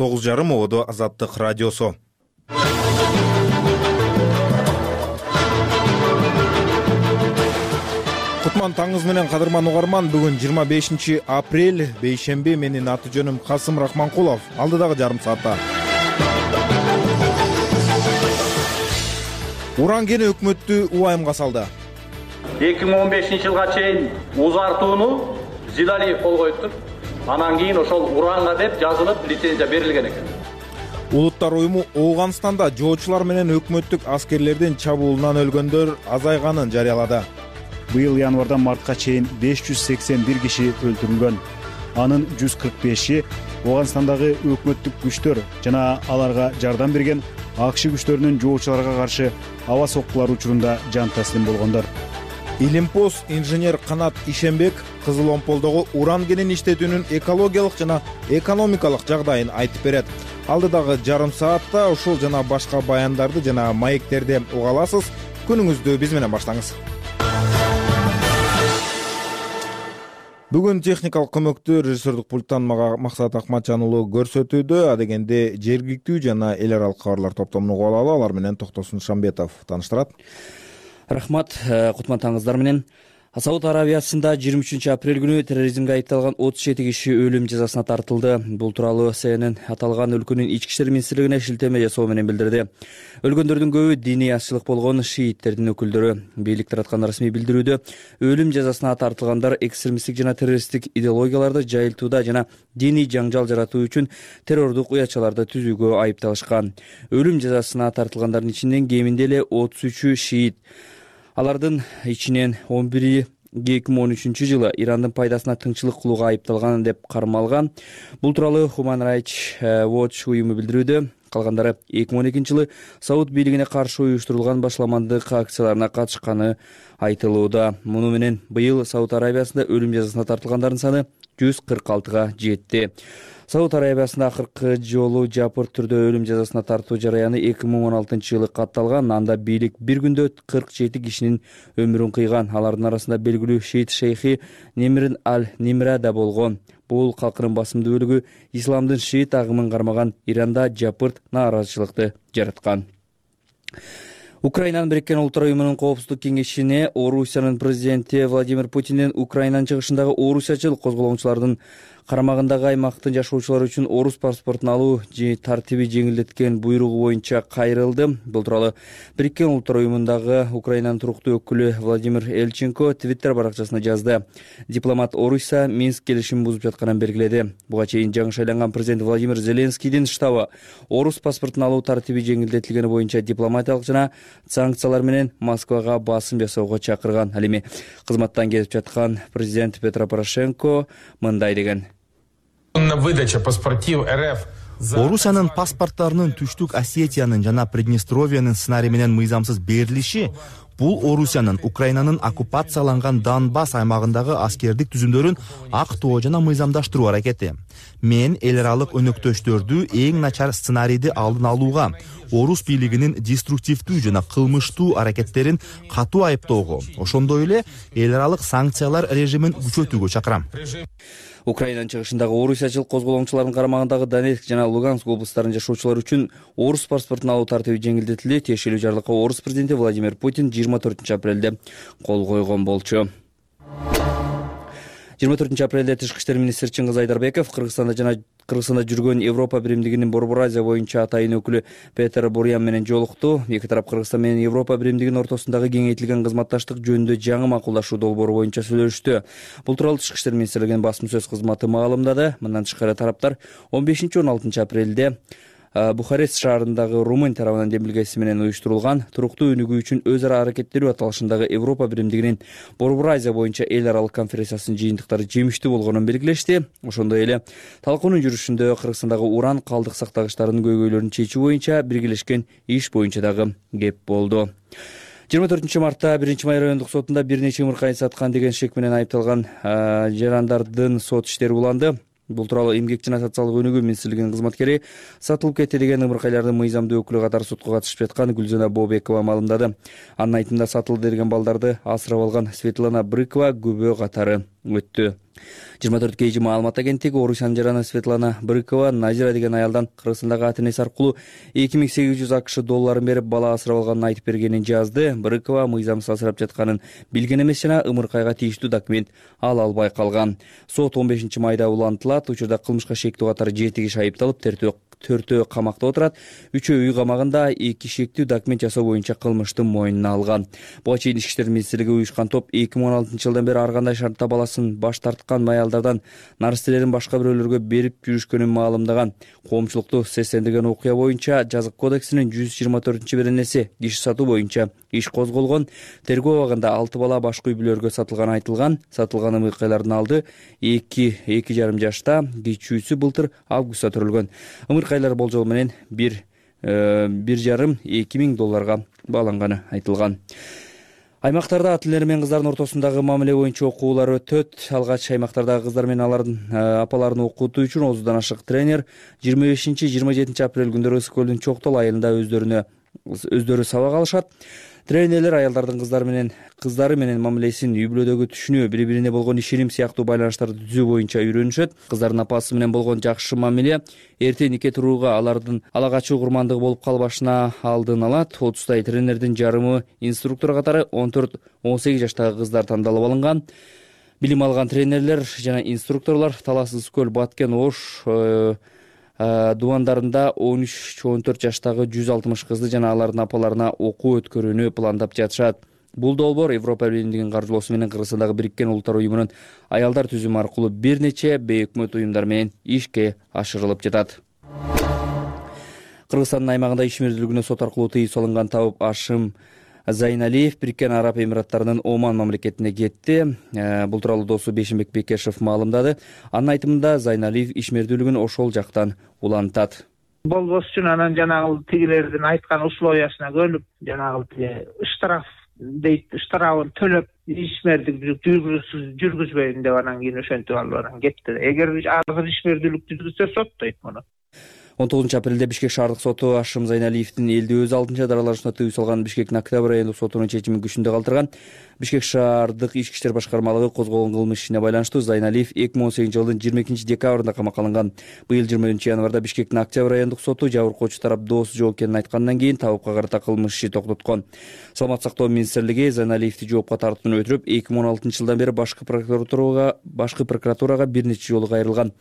9:30 Ободо Азаттык радиосу. Кутман таңыңыз менен кадырман угарман. Бүгүн 25 апрель, бейшемби. Менин аты жөнүм Касым Рахманкулов. Алдыдагы жарым саатта уран кени өкмөттү убайымга салды. 2015 жылга чейин узартууну Зилалиев кол коюптур. Анан кийин ошол уранга деп жазылып лицензия берилген экен. Улуттар уюму Ооганстанда жоочулар менен өкмөттүк аскерлердин чабуулунан өлгөндөр азайганын жарыялады. Быйыл январдан мартка чейин 581 киши өлтүрүлгөн. Анын 145и Ооганстандагы өкмөттүк күчтөр жана аларга жардам берген АКШ күчтөрүнүн жоочуларга каршы аба соккулар учурунда жан таслим болгондор. Илимпоз инженер Канат Ишенбек Кызыл Омполдогу уран кенин иштетүүнүн экологиялык жана экономикалык жагдайын айтып берет. Алдыдагы жарым саатта ушул жана башка баяндарды жана маектерди уга аласыз. Күнүңүздү биз менен баштаңыз. Бүгүн техникалык көмөктү режиссердик пульттан Максат Акматжан уулу көрсөтүүдө. Адегенде жергиликтүү жана эл аралык кабарлар топтомун угуп алалы. Алар менен Токтосун Шамбетов тааныштырат. Рахмат, кутман таңыңыздар менен. Сауд Арабиясында 23 апрель күнү терроризмге айыпталган 37 киши өлүм жазасына тартылды. Бул тууралуу CNN аталган өлкөнүн ички иштер министрлигине шилтеме жасоо менен билдирди. Өлгөндөрдүн көбү диний азчылык болгон шииттердин өкүлдөрү. Бийлик тараткан расмий билдирүүдө өлүм жазасына тартылгандар экстремисттик жана террористтик идеологияларды жайылтууда жана диний жаңжал жаратуу үчүн террордук уячаларды түзүүгө айыпталышкан. Өлүм жазасына тартылгандардын ичинен кеминде эле 33 шиит. Алардын ичинен 11 2013 жылы Ирандын пайдасына тыңчылык кылууга айыпталган деп кармалган. Бул тууралуу Human Rights Watch уюму билдирүүдө. Калгандары 2012 жылы Сауд бийлигине каршы уюштурулган башламандык акцияларына катышканы айтылууда. Муну менен быйыл Сауд Арабиясында өлүм жазасына тартылгандардын саны 146га жетти. Сауд Арабиясында акыркы жолу жапырт түрдө өлүм жазасына тартуу жараяны 2016 жылы катталган. Анда бийлик бир күндө 47 кишинин өмүрүн кыйган. Алардын арасында белгилүү шиит шейхи Немир аль-Нимра да болгон. Бул калкынын басымдуу бөлүгү исламдын шиит агымын кармаган Иранда жапырт нааразычылыкты жараткан. Украинанын Бириккен Улуттар уюмунун коопсуздук кеңешине Орусиянын президенти Владимир Путиндин Украинанын чыгышындагы орусячыл козголоңчулардын карамагындагы аймактын жашоочулары үчүн орус паспортун алуу тартиби жеңилдеткен буйругу боюнча кайрылды. Бул тууралуу Бириккен Улуттар уюмундагы Украинанын туруктуу өкүлү Владимир Элченко Твиттер баракчасына жазды. Дипломат Орусия Минск келишимин бузуп жатканын белгиледи. Буга чейин жаңы шайланган президент Владимир Зеленскийдин штабы орус паспортун алуу тартиби жеңилдетилгени боюнча дипломатиялык жана санкциялар менен Москвага басым жасоого чакырган. Ал эми кызматтан кетип жаткан президент Петро Порошенко мындай деген: Орусиянын паспорттарынын Түштүк Осетиянын жана Приднестровиянын сценарий менен мыйзамсыз берилиши бул Орусиянын Украинанын оккупацияланган Донбасс аймагындагы аскердик түзүмдөрүн актоо жана мыйзамдаштыруу аракети. Мен эл аралык өнөктөштөрдү эң начар сценарийди алдын алууга, орус бийлигинин деструктивдүү жана кылмыштуу аракеттерин катуу айыптоого, ошондой эле эл аралык санкциялар режимин күчөтүүгө чакырам. Украинанын чыгышындагы орусячыл козголоңчулардын карамагындагы Донецк жана Луганск облустарынын жашоочулары үчүн орус паспортун алуу тартиби жеңилдетилди. Тиешелүү жарлыкка орус президенти Владимир Путин 24 апрелде кол койгон болчу. 24 апрелде Тышкы иштер министри Чыңгыз Айдарбеков Кыргызстанда жүргөн Европа биримдигинин Борбор Азия боюнча атайын өкүлү Петер Бурян менен жолукту. Эки тарап Кыргызстан менен Европа биримдигинин ортосундагы кеңейтилген кызматташтык жөнүндө жаңы макулдашуу долбоору боюнча сүйлөштү. Бул тууралуу Тышкы иштер министрлигинин басма сөз кызматы маалымдады. Мындан тышкары тараптар 15-16 апрелде Бухарест шаарындагы Румын тарабынан демилгеси менен уюштурулган туруктуу өнүгүү үчүн өз ара аракеттенүү аталышындагы Европа биримдигинин Борбор Азия боюнча эл аралык конференциясынын жыйынтыктары жемиштүү болгонун белгилешти. Ошондой эле талкуунун жүрүшүндө Кыргызстандагы уран калдык сактагычтарынын көйгөйлөрүн чечүү боюнча биргелешкен иш боюнча дагы кеп болду. 24 мартта 1-Май райондук сотунда бир нече ымыркайын саткан деген шек менен айыпталган жарандардын сот иштери уланды. Бул тууралуу эмгек жана социалдык өнүгүү министрлигинин кызматкери сатылып кетти деген ымыркайлардын мыйзамдуу өкүлү катары сотко катышып жаткан Гүлзана Бообекова маалымдады. Анын айтымында сатылды деген балдарды асырап алган Светлана Брыкова күбө катары өттү. 24 маалымат агенттиги Орусиянын жараны Светлана Брыкова Назира деген аялдан Кыргызстандагы ата-энеси аркылуу 2800 АКШ долларын берип бала асырап алганын айтып бергенин жазды. Брыкова мыйзамсыз асырап жатканын билген эмес жана ымыркайга тийиштүү документ ала албай калган. Сот 15 майда улантылат. Учурда кылмышка шектүү катары 7 киши айыпталып, төртөө камакта отурат. 3-өө үй камагында 2 шектүү документ жасоо боюнча кылмыштын мойнуна алган. Буга чейин Ички иштер министрлиги уюшкан топ 2016 жылдан бери ар кандай шартта баласын баш тарткан аялдардан наристелерин башка бирөөлөргө берип жүрүшкөнүн маалымдаган. Коомчулукту сестендирген окуя боюнча Жазык кодексинин 124-беренеси киши сатуу боюнча иш козголгон. Тергөө абагында 6 бала башка үй бүлөлөргө сатылганы айтылган. Сатылган ымыркайлардын алды 2,5 жашта, кичүүсү былтыр августта төрөлгөн. Ымыркайлар болжол менен 1,5–2 миң долларга бааланганы айтылган. Аймактарда ата энелер менен кыздардын ортосундагы мамиле боюнча окуулар өтөт. Алгач аймактардагы кыздар менен алардын апаларын окутуу үчүн 30дан ашык тренер 25–27 апрель күндөрү Ысык көлдүн Чоктол айылында өздөрү сабак алышат. Тренерлер аялдардын кыздары менен мамилесин, үй бүлөдөгү түшүнүү, бири-бирине болгон ишеним сыяктуу байланыштарды түзүү боюнча үйрөнүшөт. Кыздардын апасы менен болгон жакшы мамиле эрте нике турууга, алардын ала качуу курмандыгы болуп калбашына алдын алат. 30 тренердин жарымы инструктор катары 14–18 жаштагы кыздар тандалып алынган. Билим алган тренерлер жана инструкторлор Талас, Ысык көл, Баткен, Ош дубандарында 13–14 жаштагы 160 кызды жана алардын апаларына окуу өткөрүүнү пландап жатышат. Бул долбоор Европа Биримдигинин каржылоосу менен Кыргызстандагы Бириккен Улуттар уюмунун аялдар түзүмү аркылуу бир нече бейөкмөт уюмдар менен ишке ашырылып жатат. Кыргызстандын аймагында ишмердүүлүгүнө сот аркылуу тыюу салынган табып Ашым Зайналиев Бириккен Араб Эмираттарынын Оман мамлекетине кетти. Бул тууралуу досу Бейшенбек Бекешев маалымдады. Анын айтымында Зайналиев ишмердүүлүгүн ошол жактан улантат. Болбос үчүн анан жанагы тигилердин айткан условиясына көнүп, жанагы штраф дейт, штрафын төлөп, ишмердүүлүк жүргүзбөйм деп анан кийин ошентип алып анан кетти. Эгер азыр ишмердүүлүк жүргүзсө соттойт муну. 19 апрелде Бишкек шаардык соту Ашым Зайналиевдин элди өз алдынча даралашына тыюу салган Бишкектин Октябрь айындык сотунун чечимин күчүндө калтырган. Бишкек шаардык ички иштер башкармалыгы козгогон кылмыш ишине байланыштуу Зайналиев 2018 жылдын 22 декабрында камакка алынган. Быйыл 20 январда Бишкектин Октябрь айындык соту жабыркоочу тарап доосу жооп экенин айткандан кийин табыпка карата кылмыш иши токтоткон. Саламаттык сактоо министрлиги Зайналиевди жоопко тартууну өтүрүп, 2016 жылдан бери башкы прокуратурага бир нече жолу кайрылган.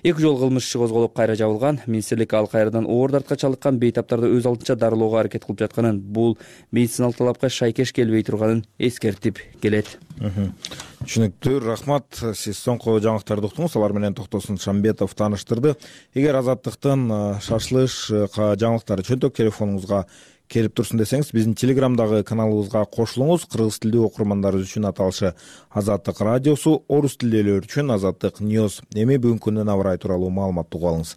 2 жолу кылмыш иши козголуп кайра жабылган. Министрлик ал кайрадан оор дартка чалыккан бейтаптарды өз алдынча дарылоого аракет кылып жатканын, бул медициналык талапка шайкеш келбей турганын эскертип келет. Түшүнүктүү, рахмат. Сиз соңку жаңылыктарды уктуңуз, алар менен Токтосун Шамбетов тааныштырды. Эгер Азаттыктын шашылыш жаңылыктары чөнтөк телефонуңузга келип турсун десеңиз, биздин Телеграмдагы каналыбызга кошулуңуз. Кыргыз тилдүү окурмандарыбыз үчүн аталышы Азаттык радиосу, орус тилдүүлөр үчүн Азаттык News. Эми бүгүнкү күндүн аба ырайы тууралуу маалыматты угуп алыңыз.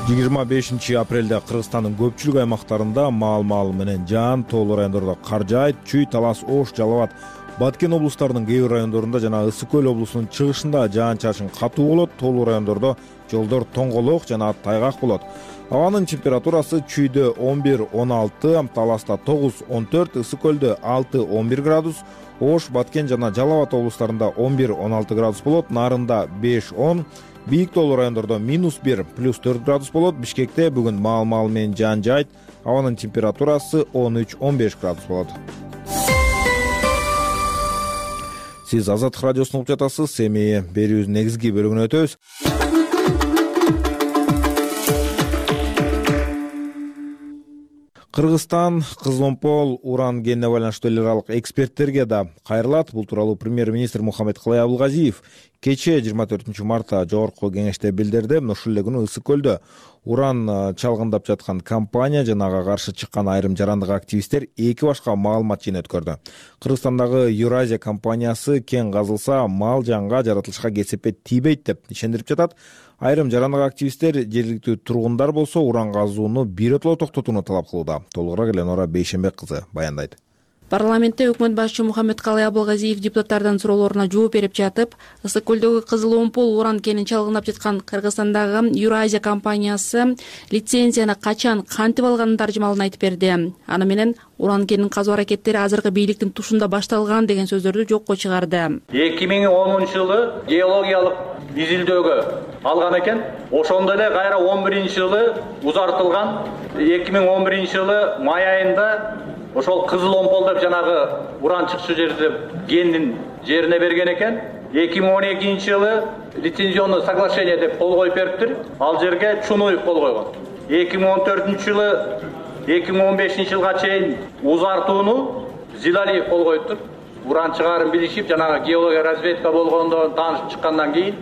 25 апрелде Кыргызстандын көпчүлүк аймактарында маал менен жаан, тоолуу райондордо кар жаайт. Чүй, Талас, Ош, Жалал Абад, Баткен облустарынын кээ бир райондорунда жана Ысык көл облусунун чыгышында жаан-чачын катуу болот. Тоолуу райондордо жолдор тоңголок жана тайгак болот. Абанын температурасы Чүйдө 11–16, Таласта 9–14, Ысык көлдө 6–11 градус, Ош, Баткен жана Жалал Абад облустарында 11–16 градус болот. Нарында 5–10, бийик тоолуу райондордо -1–+4 градус болот. Бишкекте бүгүн маал менен жаан жаайт. Абанын температурасы 13–15 градус болот. Сиз Азаттык радиосун угуп жатасыз. Эми берүүбүздүн негизги бөлүгүнө өтөбүз. Кыргызстан Кызыломпол уран кенине байланыштуу эл аралык эксперттерге да кайрылат. Бул тууралуу премьер-министр Мухаммедкалый Абылгазиев кечээ 24 мартта жогорку кеңеште билдирди. Ушул эле күнү Ысык көлдө уран чалгындап жаткан компания жана ага каршы чыккан айрым жарандык активисттер эки башка маалымат жыйын өткөрдү. Кыргызстандагы Юразия компаниясы кен казылса мал жанга, жаратылышка кесепет тийбейт деп ишендирип жатат. Айрым жарандык активисттер жергиликтүү тургундар болсо уран казууну биротоло токтотууну талап кылууда. Толугураак Эленора Бейшенбек кызы баяндайт. Парламентте өкмөт башчы Мухаммедкалый Абылгазиев депутаттардын суроолоруна жооп берип жатып, Ысык көлдөгү Кызыл Омпол уран кенин чалгындап жаткан Кыргызстандагы Юразия компаниясы лицензияны качан кантип алганын таржымалын айтып берди. Аны менен уран кенин казуу аракеттери азыркы бийликтин тушунда башталган деген сөздөрдү жокко чыгарды. 2010-жылы геологиялык изилдөөгө алган экен. Ошондо эле кайра 11-жылы узартылган. 2011-жылы май айында ошол Кызыл Омпол деп жанагы уран чыкчу жерде кендин жерине берген экен. 2012-жылы лицензионный соглашение деп кол коюп бериптир. Ал жерге Чунуев кол койгон. 2014-жылы 2015-жылга чейин узартууну Зилалиев кол коюптур. Уран чыгарын билишип, жанагы геология разведка болгондон таанышып чыккандан кийин,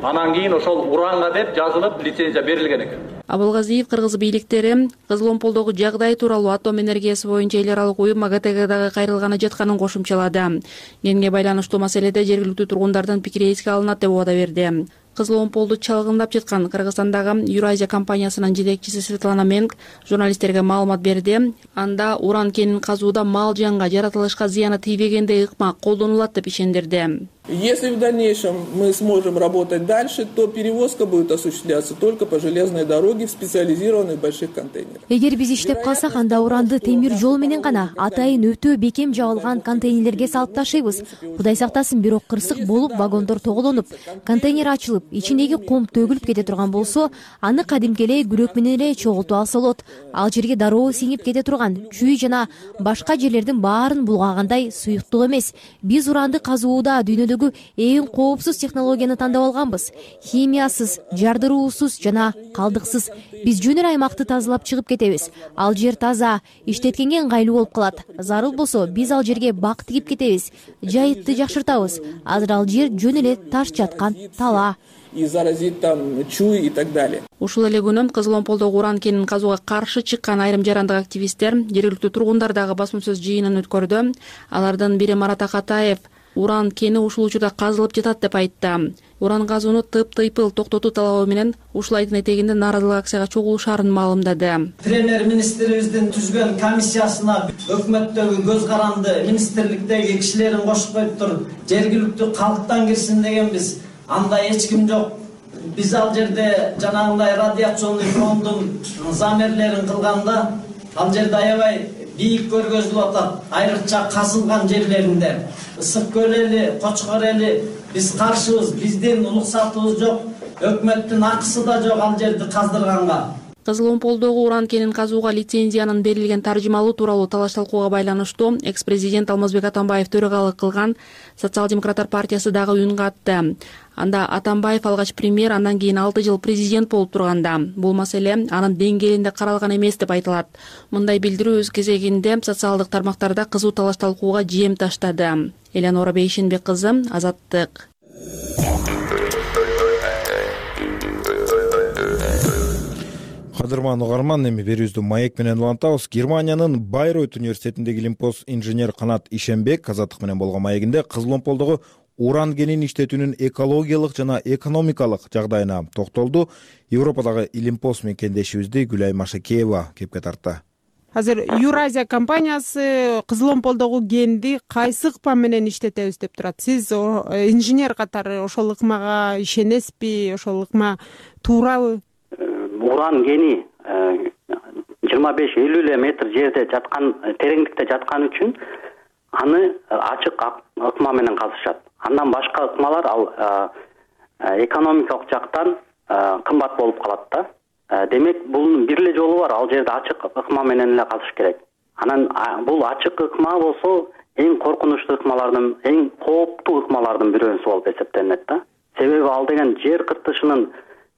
анан кийин ошол уранга деп жазылып лицензия берилген экен. Абылгазиев кыргыз бийликтери Кызыл Омполдогу жагдай тууралуу атом энергиясы боюнча эл аралык уюм МАГАТЭга кайрылганы жатканын кошумчалады. Кенге байланыштуу маселеде жергиликтүү тургундардын пикири эске алынат деп убада берди. Кызыл Омполду чалгындап жаткан Кыргызстандагы Юразия компаниясынын жетекчиси Светлана Менг журналисттерге маалымат берди. Анда уран кенин казууда мал жанга, жаратылышка зыяны тийбегендей ыкма колдонулат деп ишендирди. Если в дальнейшем мы сможем работать дальше, то перевозка будет осуществляться только по железной дороге в специализированных больших контейнерах. Эгер биз иштеп калсак, анда уранды темир жол менен гана атайын өтө бекем жабылган контейнерлерге салып ташыйбыз. Кудай сактасын, бирок кырсык болуп, вагондор тоголонуп, контейнер ачылып, ичиндеги кум төгүлүп кете турган болсо, аны кадимки эле күрөк менен эле чогултуп алса болот. Ал жерге дароо сиңип кете турган чүй жана башка жерлердин баарын булгагандай суюктук эмес. Биз уранды казууда дүйнөдөгү эң коопсуз технологияны тандап алганбыз. Химиясыз, жардыруусуз жана калдыксыз. Биз жөн эле аймакты тазалап чыгып кетебиз. Ал жер таза, иштеткенге ыңгайлуу болуп калат. Зарыл болсо, биз ал жерге бак тигип кетебиз. Жайытты жакшыртабыз. Азыр ал жер жөн эле таш жаткан тала. И заразит там чуй и так далее. Ушул эле күнү Кызыл Омполдогу уран кенин казууга каршы чыккан айрым жарандык активисттер жергиликтүү тургундар дагы басма-сөз жыйынын өткөрдү. Алардын бири Марат Акатаев уран кени ушул учурда казылып жатат деп айтты. Уран казууну тыйпыл токтотуу талабы менен ушул айдын этегинде нааразылык акцияга чогулушаарын маалымдады. Премьер-министрибиздин түзгөн комиссиясына өкмөттөгү көз каранды министрликтеги кишилерин кошуп коюптур. Жергиликтүү калктан кирсин дегенбиз. Андай эч ким жок. Биз ал жерде жанагындай радиационный фондун замерлерин кылганда ал жерде аябай бийик көргөзүлүп атат. Айрыкча казылган жерлеринде. Ысык көл эли, Кочкор эли биз каршыбыз. Биздин уруксатыбыз жок. Өкмөттүн акысы да жок ал жерди каздырганга. Кызыл Омполдогу уран кенин казууга лицензиянын берилген таржымалуу тууралуу талаш-талкууга байланыштуу экс-президент Алмазбек Атамбаев төрагалык кылган Социал-демократтар партиясы дагы үн катты. Анда Атамбаев алгач премьер, андан кийин 6 жыл президент болуп турганда, бул маселе анын деңгээлинде каралган эмес деп айтылат. Мындай билдирүү өз кезегинде социалдык тармактарда кызуу талаш-талкууга жем таштады. Элеонора Бейшенбек кызы, Азаттык. Кадырман угарман, эми берүүбүздү маек менен улантабыз. Германиянын Байройт университетиндеги лимпоз инженер Канат Ишенбек Азаттык менен болгон маегинде Кызыл Омполдогу уран кенин иштетүүнүн экологиялык жана экономикалык жагдайына токтолду. Европадагы Илимпоз мекендешибизди Гүлай Машакеева кепке тартты. Азыр Юразия компаниясы Кызыл Омполдогу кенди кайсы ыкма менен иштетебиз деп турат. Сиз инженер катары ошол ыкмага ишенесизби? Ошол ыкма туурабы? Уран кени 25-50 эле метр жерде жаткан, тереңдикте жаткан үчүн аны ачык ыкма менен казышат. Андан башка ыкмалар ал экономикалык жактан кымбат болуп калат да. Демек бул бир эле жолу бар, ал жерде ачык ыкма менен эле казыш керек. Анан бул ачык ыкма болсо эң коркунучтуу ыкмалардын, эң кооптуу ыкмалардын бирөөсү болуп эсептелинет да. Себеби ал деген жер кыртышынын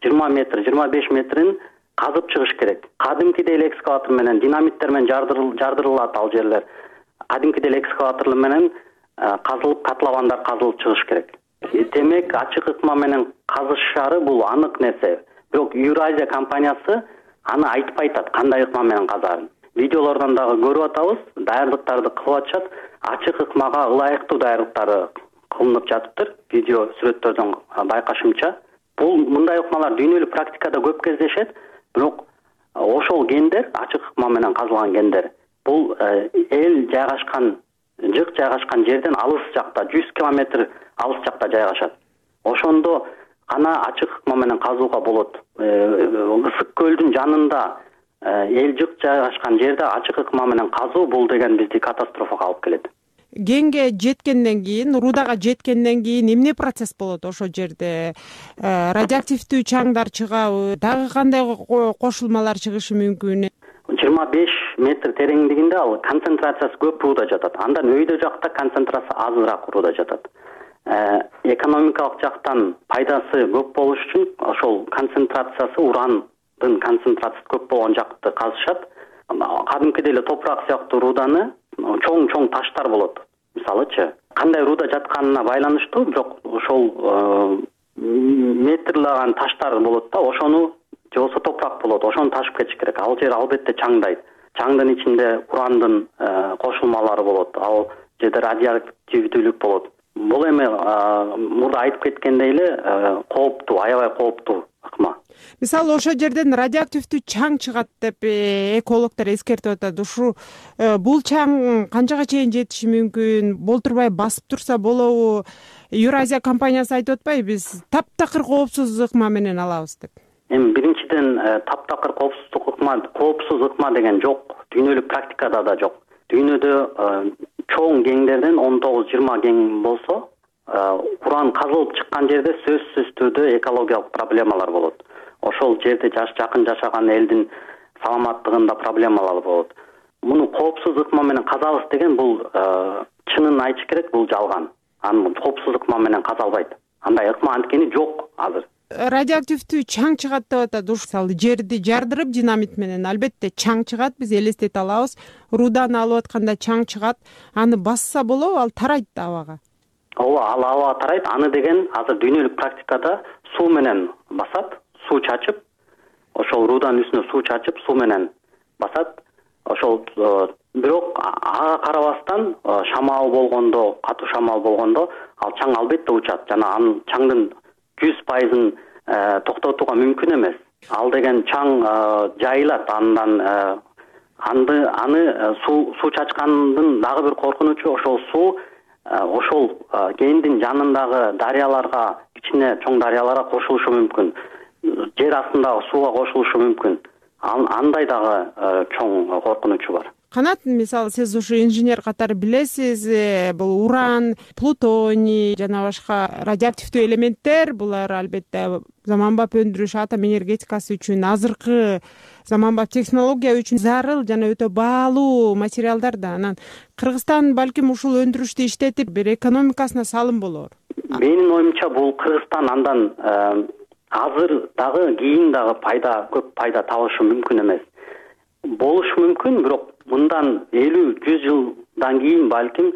20 метр, 25 метрин казып чыгыш керек. Кадимкидей эле экскаватор менен, динамиттер менен жардырылат ал жерлер. Кадимкидей эле экскаватор менен казылып, котловандар казылып чыгыш керек. Демек, ачык ыкма менен казышары бул анык нерсе. Бирок Юразия компаниясы аны айтпай атат, кандай ыкма менен казарын. Видеолордон дагы көрүп атабыз, даярдыктарды кылып атышат. Ачык ыкмага ылайыктуу даярдыктары кылынып жатыптыр. Видео сүрөттөрдөн байкашымча. Бул мындай ыкмалар дүйнөлүк практикада көп кездешет, бирок ошол гендер, ачык ыкма менен казылган гендер, бул эл жайгашкан жык жайгашкан жерден алыс жакта 100 километр алыс жакта жайгашат. Ошондо гана ачык ыкма менен казууга болот. Ысык көлдүн жанында эл жык жайгашкан жерде ачык ыкма менен казуу бул деген бизди катастрофага алып келет. Кенге жеткенден кийин, Рудага жеткенден кийин эмне процесс болот ошол жерде? Радиоактивдүү чаңдар чыгабы? Дагы кандай кошулмалар чыгышы мүмкүн? 25 метр тереңдигинде ал концентрациясы көп рууда жатат. Андан өйдө жакта концентрация азыраак рууда жатат. Экономикалык жактан пайдасы көп болуш үчүн ошол концентрациясы урандын концентрациясы көп болгон жакты казышат. Кадимкидей эле топурак сыяктуу руданы чоң таштар болот. Мисалычы, кандай руда жатканына байланыштуу, бирок ошол метрлаган таштар болот да, ошону же болбосо топурак болот, ошону ташып кетиш керек. Ал жер албетте чаңдайт. Чаңдын ичинде урандын кошулмалары болот, ал жерде радиоактивдүүлүк болот. Бул эми мурда айтып кеткендей эле кооптуу, аябай кооптуу ыкма. Мисалы, ошол жерден радиоактивдүү чаң чыгат деп экологдор эскертип атат. Ушу бул чаң канчага чейин жетиши мүмкүн? Болтурбай басып турса болобу? Евразия компаниясы айтып атпайбы, биз таптакыр коопсуз ыкма менен алабыз деп. Эми биринчиден таптакыр коопсуз ыкма деген жок. Дүйнөлүк практикада да жок. Дүйнөдө чоң кеңдерден 19-20 кең болсо, уран казылып чыккан жерде сөзсүз түрдө экологиялык проблемалар болот. Ошол жерде жакын жашаган элдин саламаттыгында проблемалар болот. Муну коопсуз ыкма менен казабыз деген бул чынын айтыш керек, бул жалган. Аны коопсуз ыкма менен казалбайт. Андай ыкма анткени жок азыр. Радиоактивдүү чаң чыгат деп атат. Мисалы, жерди жардырып динамит менен албетте чаң чыгат, биз элестете алабыз. Руданы алып атканда чаң чыгат, аны басса болобу, ал тарайт абага. Ооба, ал абага тарайт. Аны деген азыр дүйнөлүк практикада суу менен басат, суу чачып, ошол руданын үстүнө суу чачып, суу менен басат. Ошол бирок ага карабастан шамал болгондо, катуу шамал болгондо ал чаң албетте учат. Жана анын чаңдын 100%-ын токтотууга мүмкүн эмес. Ал деген чаң жайылат, андан аны суу чачкандын дагы бир коркунучу ошол суу ошол кендин жанындагы дарыяларга, кичине чоң дарыяларга кошулушу мүмкүн. Жер астындагы сууга кошулушу мүмкүн. Андай дагы чоң коркунучу бар. Канат, мисалы, сиз ушу инженер катары билесиз, бул уран, плутоний жана башка радиоактивдүү элементтер, булар албетте заманбап өндүрүш, атом энергетикасы үчүн, азыркы заманбап технология үчүн зарыл жана өтө баалуу материалдар да. Анан Кыргызстан балким ушул өндүрүштү иштетип, бир экономикасына салым болор. Менин оюмча бул Кыргызстан андан азыр дагы кийин дагы көп пайда табышы мүмкүн эмес. Болушу мүмкүн, бирок мындан 50-100 жылдан кийин балким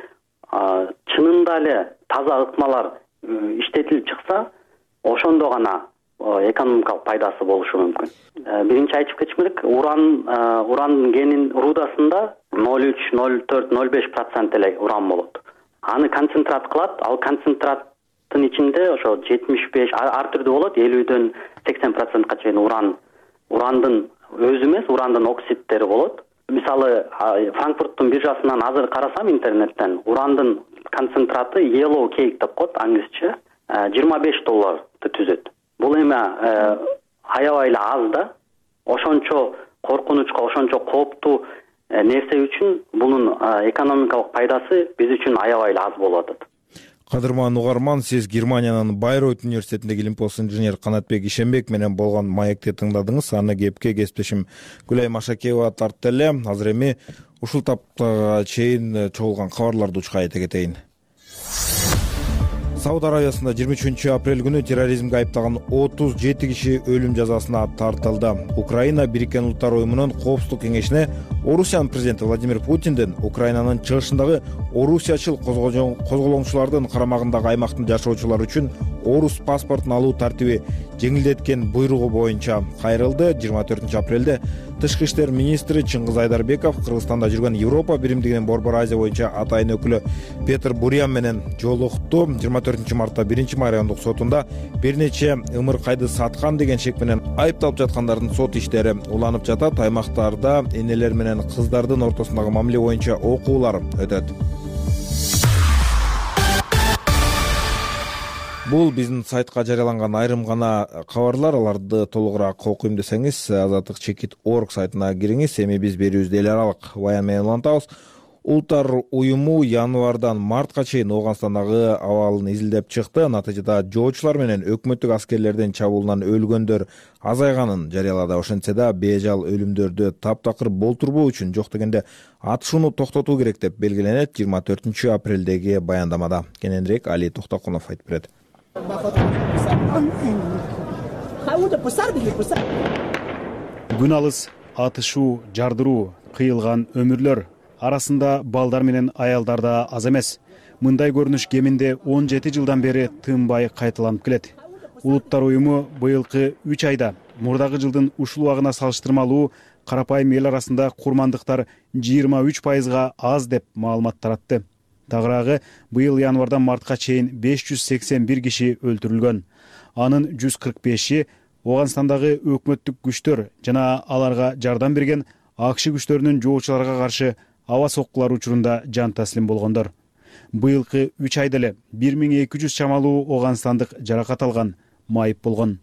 чынында эле таза ыкмалар иштетилип чыкса, ошондо гана экономикалык пайдасы болушу мүмкүн. Биринчи айтып кетишим керек, урандын кенин рудасында 0,3, 0,4, 0,5% эле уран болот. Аны концентрат кылат, ал концентраттын ичинде ошо 75 ар түрдүү болот, 50дөн 80%га чейин урандын өзү эмес, урандын оксидтери болот. Мисалы, Франкфурттун биржасынан азыр карасам интернеттен, урандын концентраты yellow cake деп коет англисче, $25 түзөт. Бул эми аябай эле аз да. Ошончо коркунучка, ошончо кооптуу нерсе үчүн бунун экономикалык пайдасы биз үчүн аябай эле аз болуп атат. Кадырман угарман, сиз Германиянын Байройт университетиндеги илимпоз инженер Канатбек Ишенбек менен болгон маекти тыңдадыңыз. Аны кепке кесиптешим Гүлай Машакеева тартты эле. Азыр эми ушул таптага чейин чогулган кабарларды учка айта кетейин. Сауд Аравиясында 23 апрель күнү терроризмге айыпталган 37 киши өлүм жазасына тартылды. Украина Бириккен Улуттар уюмунун Коопсуздук кеңешине Орусиянын президенти Владимир Путиндин Украинанын чыгышындагы орусиячыл козголоңчулардын карамагындагы аймактын жашоочулары үчүн орус паспортун алуу тартиби жеңилдеткен буйругу боюнча кайрылды. 24 апрелде Тышкы иштер министри Чыңгыз Айдарбеков Кыргызстанда жүргөн Европа биримдигинин Борбор Азия боюнча атайын өкүлү Петр Бурян менен жолукту. 24 мартта 1-май райондук сотунда бир нече ымыркайды саткан деген шек менен айыпталып жаткандардын сот иштери уланып жатат. Аймактарда энелер менен кыздардын ортосундагы мамиле боюнча окуулар өтөт. Бул биздин сайтка жарыяланган айрым гана кабарлар. Аларды толугураак окуйм десеңиз azatdыk.org сайтына кириңиз. Эми биз берүүбүздү эл аралык баян менен улантабыз. Улуттар уюму январдан мартка чейин Ооганстандагы абалын изилдеп чыкты. Натыйжада жоочулар менен өкмөттүк аскерлердин чабуулунан өлгөндөр азайганын жарыялады. Ошентсе да бежал өлүмдөрдү таптакыр болтурбоо үчүн жок дегенде атышууну токтотуу керек деп белгиленет 24 апрелдеги баяндамада. Кененирээк Али Токтокунов айтып берет. Күн алыс атышуу, жардыруу, кыйылган өмүрлөр арасында балдар менен аялдар да аз эмес. Мындай көрүнүш кеминде 17 жылдан бери тынбай кайталанып келет. Улуттар уюму быйылкы 3 айда мурдагы жылдын ушул убагына салыштырмалуу карапайым эл арасында курмандыктар 23%га аз деп маалымат таратты. Тагыраагы быйыл январдан мартка чейин 581 киши өлтүрүлгөн. Анын 145и Ооганстандагы өкмөттүк күчтөр жана аларга жардам берген АКШ күчтөрүнүн жоочуларга каршы аба соккулар учурунда жан таслим болгондор. Быйылкы 3 айда эле 1200 чамалуу ооганстандык жаракат алган, майып болгон.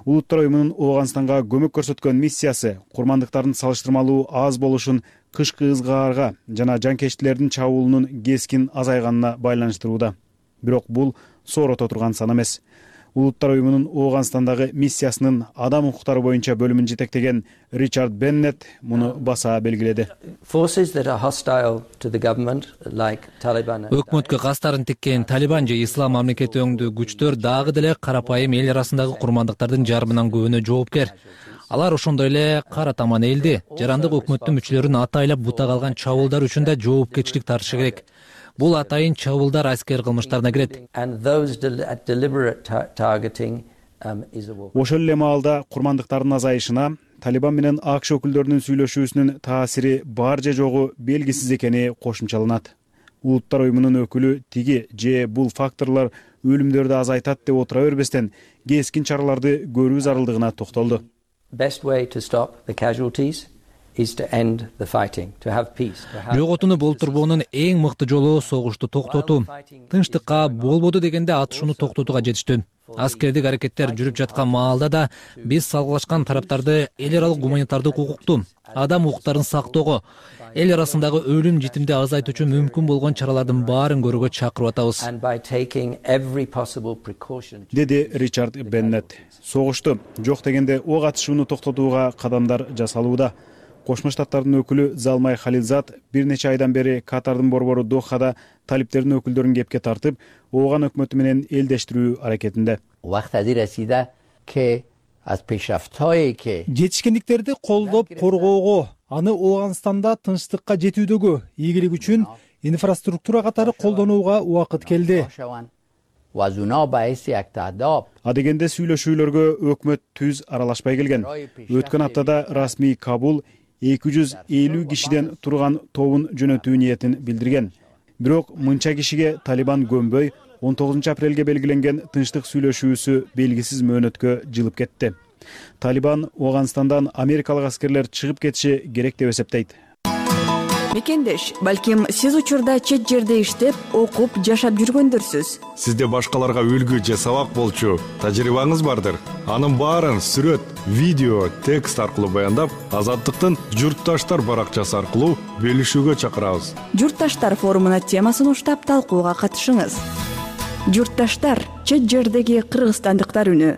Улуттар уюмунун Ооганстанга көмөк көрсөткөн миссиясы курмандыктардын салыштырмалуу аз болушун кышкы ызгаарга жана жанкечтилердин чабуулунун кескин азайганына байланыштырууда. Бирок бул соорото турган сан эмес. Улуттар уюмунун Ооганстандагы миссиясынын адам укуктары боюнча бөлүмүн жетектеген Ричард Беннет муну баса белгиледи. Өкмөткө кастарын тиккен Талибан же Ислам мамлекети өңдүү күчтөр дагы деле карапайым эл арасындагы курмандыктардын жарымынан көбүнө жоопкер. Алар ошондой эле кара таман элди, жарандык өкмөттүн мүчөлөрүн атайлап бута калган чабуулдар үчүн да жоопкерчилик тартышы керек. Бул атайын чабуулдар аскер кылмыштарына кирет. Ошол эле маалда курмандыктардын азайышына Талибан менен АКШ өкүлдөрүнүн сүйлөшүүсүнүн таасири бар же жогу белгисиз экени кошумчаланат. Улуттар уюмунун өкүлү тиги же бул факторлор өлүмдөрдү азайтат деп отура бербестен кескин чараларды көрүү зарылдыгына токтолду. Жоготууну болтурбоонун эң мыкты жолу согушту токтотуу. Тынчтыкка болбоду дегенде атышууну токтотууга жетиштүү. Аскердик аракеттер жүрүп жаткан маалда да биз салгылашкан тараптарды эл аралык гуманитардык укукту, адам укуктарын сактоого, эл арасындагы өлүм житимди азайтуу үчүн мүмкүн болгон чаралардын баарын көрүүгө чакырып атабыз, деди Ричард Беннет. Согушту жок дегенде ок атышууну токтотууга кадамдар жасалууда. Кошмо Штаттардын өкүлү Залмай Халилзад бир нече айдан бери Катардын борбору Дохада талиптердин өкүлдөрүн кепке тартып, Ооган өкмөтү менен элдештирүү аракетинде. Жетишкендиктерди колдоп коргоого, аны Ооганстанда тынчтыкка жетүүдөгү ийгилик үчүн инфраструктура катары колдонууга убакыт келди. Адегенде сүйлөшүүлөргө өкмөт түз аралашпай келген. Өткөн аптада расмий Кабул 250 кишиден турган тобун жөнөтүү ниетин билдирген. Бирок мынча кишиге Талибан көнбөй 19 апрелге белгиленген тынчтык сүйлөшүүсү белгисиз мөөнөткө жылып кетти. Талибан Ооганстандан америкалык аскерлер чыгып кетиши керек деп эсептейт. Мекендеш, балким сиз учурда чет жерде иштеп, окуп, жашап жүргөндөрсүз. Сизде башкаларга үлгү же сабак болчу тажрыйбаңыз бардыр. Анын баарын сүрөт, видео, текст аркылуу баяндап, Азаттыктын Журтташтар баракчасы аркылуу бөлүшүүгө чакырабыз. Журтташтар форумуна темасын уштап талкууга катышыңыз. Журтташтар, чет жердеги кыргызстандыктар үнү.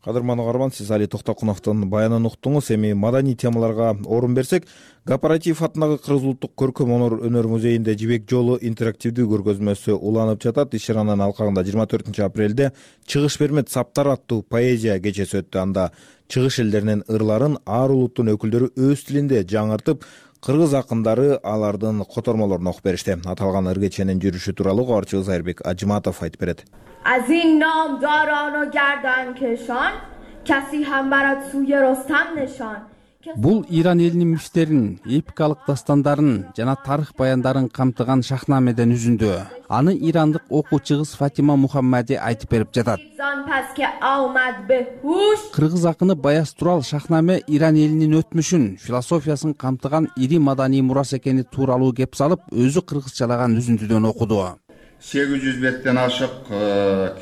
Кадырман угарман, сиз Али Токтокуновдун баянын уктуңуз. Эми маданий темаларга орун берсек, Кооператив атындагы Кыргыз улуттук көркөм өнөр музейинде Жибек жолу интерактивдүү көргөзмөсү уланып жатат. Иш-чаранын алкагында 24 апрелде Чыгыш бермет саптар аттуу поэзия кечеси өттү. Анда чыгыш элдеринин ырларын ар улуттун өкүлдөрү өз тилинде жаңыртып, кыргыз акындары алардын котормолорун окуп беришти. Аталган ыр кеченин жүрүшү тууралуу кабарчыбыз Айырбек Ажиматов айтып берет. از این نامداران و گردن کشان کسی هم برات سوی رستم نشان. Бул Иран элинин мифтерин, эпикалык дастандарын жана тарых баяндарын камтыган шахнамеден үзүндү. Аны ирандык окуучубуз Фатима Мухаммади айтып берип жатат. Кыргыз акыны Баяз Турал шахнаме Иран элинин өтмүшүн, философиясын камтыган ири маданий мурас экени тууралуу кеп салып, өзү кыргызчалаган үзүндүдөн окуду. 800 беттен ашык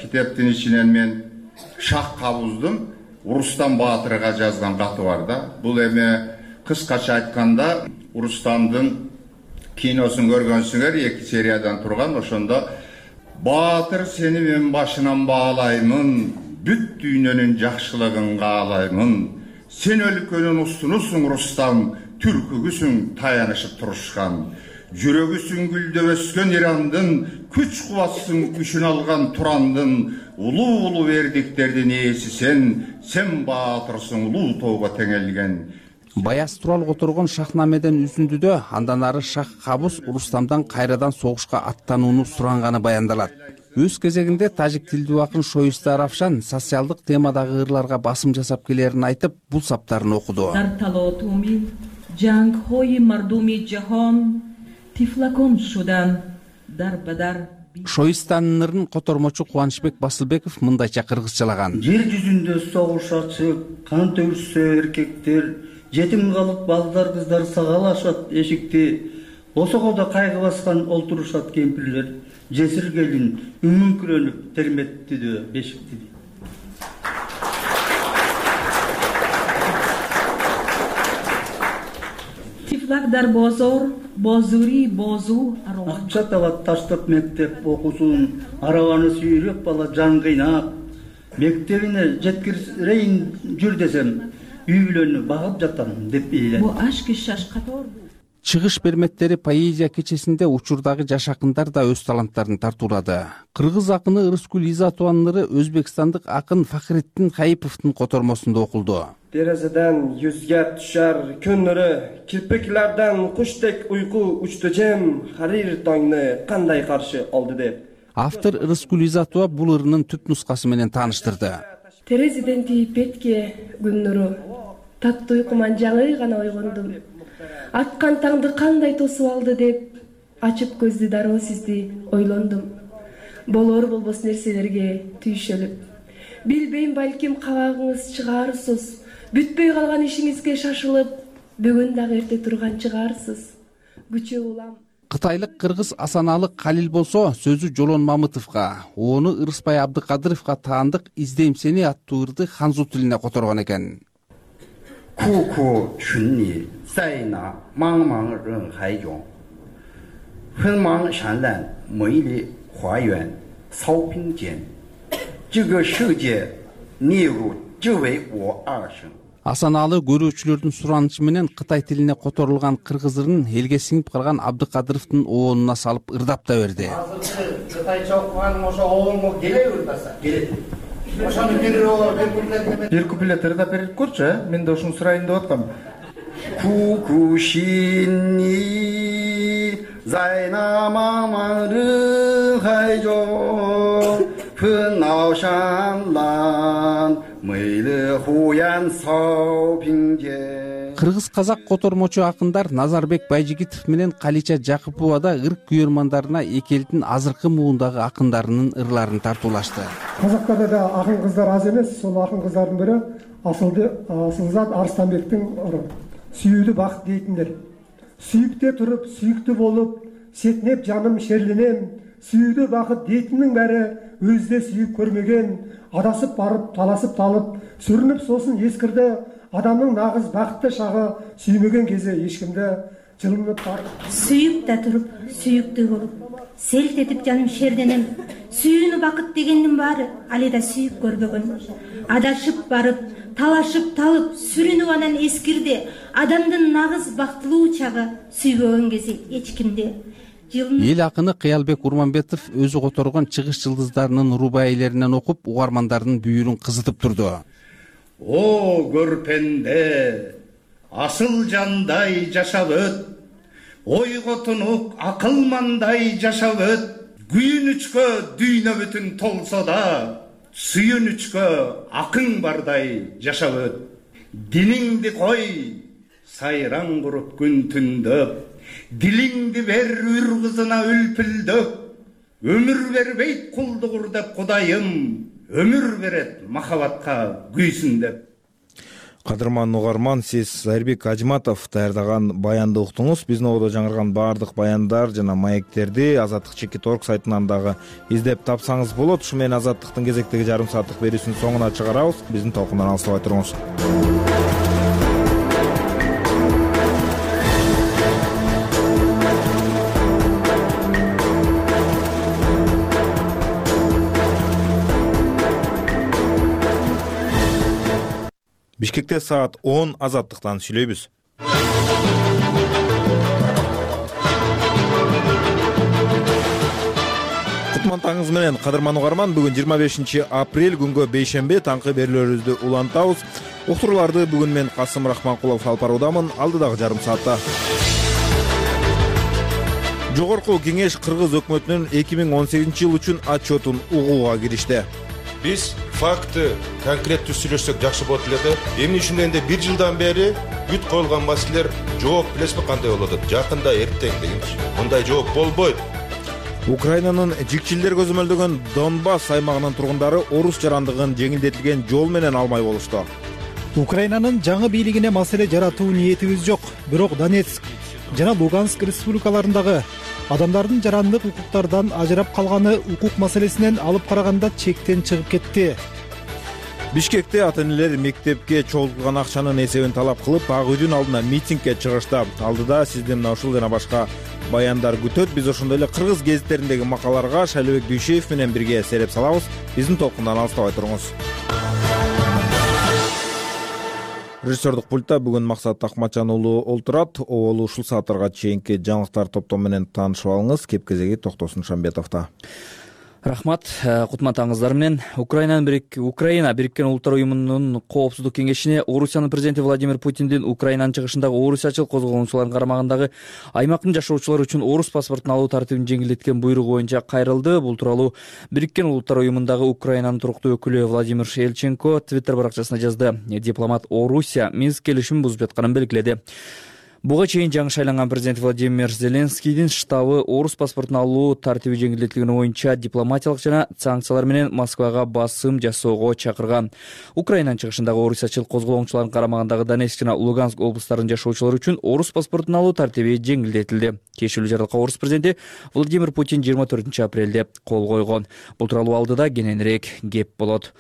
китептин ичинен мен Шах Кабуздун Урустан Баатырга жазган каты бар да. Бул эми кыскача айтканда Урустандын киносун көргөнсүңөр, 2 сериядан турган. Ошондо Баатыр сени мен башынан баалаймын, бүт дүйнөнүн жакшылыгын каалаймын. Сен өлкөнүн устунусуң Рустам, түркүгүсүң таянышып турушкан. Жүрөгүсүң гүлдөп өскөн Ирандын, күч кубатсың күчүн алган Турандын. Улуу бердиктердин ээси сен баатырсың улуу тоого теңелген. Баяз турал которгон шахнамеден үзүндүдө андан ары Шах Кабуз Рустамдан кайрадан согушка аттанууну суранганы баяндалат. Өз кезегинде тажик тилдүү акын Шоиста Равшан социалдык темадагы ырларга басым жасап келерин айтып, бул саптарын окуду. Шоистанын ырын котормочу Кубанычбек Басылбеков мындайча кыргызчалаган. Жер жүзүндө согуш ачык, кан төгүшсө эркектер, жетим калып балдар кыздар сагалашат эшикти. Осогодо кайгы баскан олтурушат кемпирлер. Жесир келин үңүңкүрөнүп терметтидү бешикти. Тифлакдар бозор, бозури бозу арабан. Акча табат таштап мектеп окусун, арабаны сүйрөп бала жан кыйнап, мектебине жеткирейин жүр десем, үй бүлөнү багып жатам деп эйлен. Бу ашки шаш катор. Чыгыш берметтери поэзия кечесинде учурдагы жаш акындар да өз таланттарын тартуулады. Кыргыз акыны Ырыскүл Изатованын ыры өзбекстандык акын Фахреттин Хайиповдун котормосунда окулду. Терезеден yüzге düşer gün nuru, kirpiklerden kuştek uyku uçtu cem, harir tаңны кандай каршы алды деп. Автор Ырыскүл Изатова бул ырынын түп нускасы менен тааныштырды. Терезеден тийип бетке күн нуру, таттуу уйкуман жаңы гана ойгондум. Аткан таңды кандай тосуп алды деп, ачып көздү дароо сизди ойлондум. Болор болбос нерселерге түйшөлүп. Билбейм, балким кабагыңыз чыгарсыз. Бүтпөй калган ишиңизге шашылып, бүгүн дагы эрте турган чыгарсыз. Күчө улам. Кытайлык кыргыз Асаналы Калил болсо сөзү Жолон Мамытовго, оны Ырысбай Абдыкадыровго таандык «Издейм сени» аттуу ырды ханзу тилине которгон экен. Ку чүнни сайна маңмаң рын хайжон. Фэнмаң шанлан мэйли хуайюан саупингжен. Жигэ шыже ниру жывэй во аршын. Асаналы көрүүчүлөрдүн суранычы менен Кытай тилине которулган кыргыз ырын элге сиңип калган Абдыкадыровдун оонуна салып ырдап да берди. Кытайча окуганым ошо оонго келе ырдаса, келет. Ошону Бир куплет ырдап берип көрчү, мен да ушуну сурайын деп аткам. Кукушинни зайнамамары хайжо фынаушанлан мыйлы хуян саупиңже. Кыргыз казак котормочу акындар Назарбек Байжигитов менен Калича Жакупова да ырк күйөрмандарына эки элдин азыркы муундагы акындарынын ырларын тартуулашты. Казактарда да акын кыздар аз эмес, сол акын кыздардын бири Асылзат Арстанбектин ыры. Сүйүүдү бакыт дейтиндер. Сүйүктө туруп, сүйүктүү болуп, сетнеп жаным шерленем. Сүйүүдү бакыт дейтиндин баары өзүдө сүйүп көрмөгөн, адасып барып, таласып талып, сүрүнүп сосын эскирде адамдын нагыз бакытты шагы сүймөгөн кезде эчкимде жылынып барып. Сүйүп да туруп, сүйүктүү болуп, селт этип жаным шерленем. Сүйүүнү бакыт дегендин баары али да сүйүп көрбөгөн. Адашып барып, талашып талып, сүрүнүп анан эскирде адамдын нагыз бактылуу чагы сүйбөгөн кези эчкимде. Эл акыны Кыялбек Урманбетов өзү которгон чыгыш жылдыздарынын рубаилеринен окуп, угармандардын бүйүрүн кызытып турду. О көрпенде асыл жандай жашап өт, ойго тунук акылмандай жашап өт. Күйүнүчкө дүйнө бүтүн толсо да, сүйүнүчкө акың бардай жашап өт. Диниңди кой, сайраң куруп күн түндөп, дилиңди бер үр кызына үлпүлдөп. Өмүр бербейт кулдугур деп Кудайым, өмүр берет махабатка күйсүн деп. Кадырман угарман, сиз Зайырбек Ажматов даярдаган баянды уктуңуз. Биздин ободо жаңырган баардык баяндар жана маектерди Азаттык.org сайтынан дагы издеп тапсаңыз болот. Ушу менен Азаттыктын кезектеги жарым сааттык берүүсүнүн соңуна чыгарабыз. Биздин толкундан алыстабай туруңуз. Бишкекте саат 10 Азаттыктан сүйлөйбүз. Кутман таңыңыз менен Кадырман угарман. Бүгүн 25 апрель күнгө бейшемби таңкы берүүлөрүбүздү улантабыз. Уктурууларды бүгүн мен Касым Рахманкулов алып баруудамын. Алдыдагы жарым саатта Жогорку Кеңеш Кыргыз өкмөтүнүн 2018 жыл үчүн отчетун угууга киришти. Биз факты конкреттүү сүйлөшсөк жакшы болот эле да. Эмне үчүн дегенде 1 жылдан бери бүт коюлган маселелер жооп билесизби кандай болот? Жакында эртең дегенчи. Мындай жооп болбойт. Украинанын жикчилдер көзөмөлдөгөн Донбасс аймагынын тургундары орус жарандыгын жеңилдетилген жол менен алмай болушту. Украинанын жаңы бийлигине маселе жаратуу ниетибиз жок. Бирок Донецк жана Луганск республикаларындагы адамдардын жарандык укуктардан ажырап калганы укук маселесинен алып караганда чектен чыгып кетти. Бишкекте ата-энелер мектепке чогултулган акчанын эсебин талап кылып, ак үйдүн алдына митингге чыгышты. Алдыда сизден мына ушул жана башка баяндар күтөт. Биз ошондой эле кыргыз гезиттериндеги макалаларга Шайлообек Дүйшеев менен бирге сереп салабыз. Биздин толкундан алыстабай туруңуз. Режиссердук пультта бүгүн Максат Акматжан уулу олтурат. Оолу ушул сааттарга чейинки жаңылыктар топтому менен таанышып алыңыз. Кеп-кезеги Токтосун Шамбетовдо. Рахмат. Кутман таңыңыздар менен. Украина Бириккен Улуттар уюмунун коопсуздук кеңешине Орусиянын президенти Владимир Путиндин Украинанын чыгышындагы орусчачыл козголгончулардын карамагындагы аймактын жашоочулары үчүн орус паспортун алуу тартибин жеңилдеткен буйругу боюнча кайрылды. Бул тууралуу Бириккен Улуттар уюмундагы Украинанын туруктуу өкүлү Владимир Элченко Твиттер баракчасына жазды. Дипломат Орусия Минск келишимин бузуп жатканын белгиледи. Буга чейин жаңы шайланган президент Владимир Зеленскийдин штабы орус паспортун алуу тартиби жеңилдетилгени боюнча дипломатиялык жана санкциялар менен Москвага басым жасоого чакырган. Украинанын чыгышындагы орусчачыл козголоңчулардын карамагындагы Донецк жана Луганск облустарынын жашоочулары үчүн орус паспортун алуу тартиби жеңилдетилди. Тиешелүү жарлыкка орус президенти Владимир Путин 24 апрелде кол койгон. Бул тууралуу алдыда кененирээк кеп болот.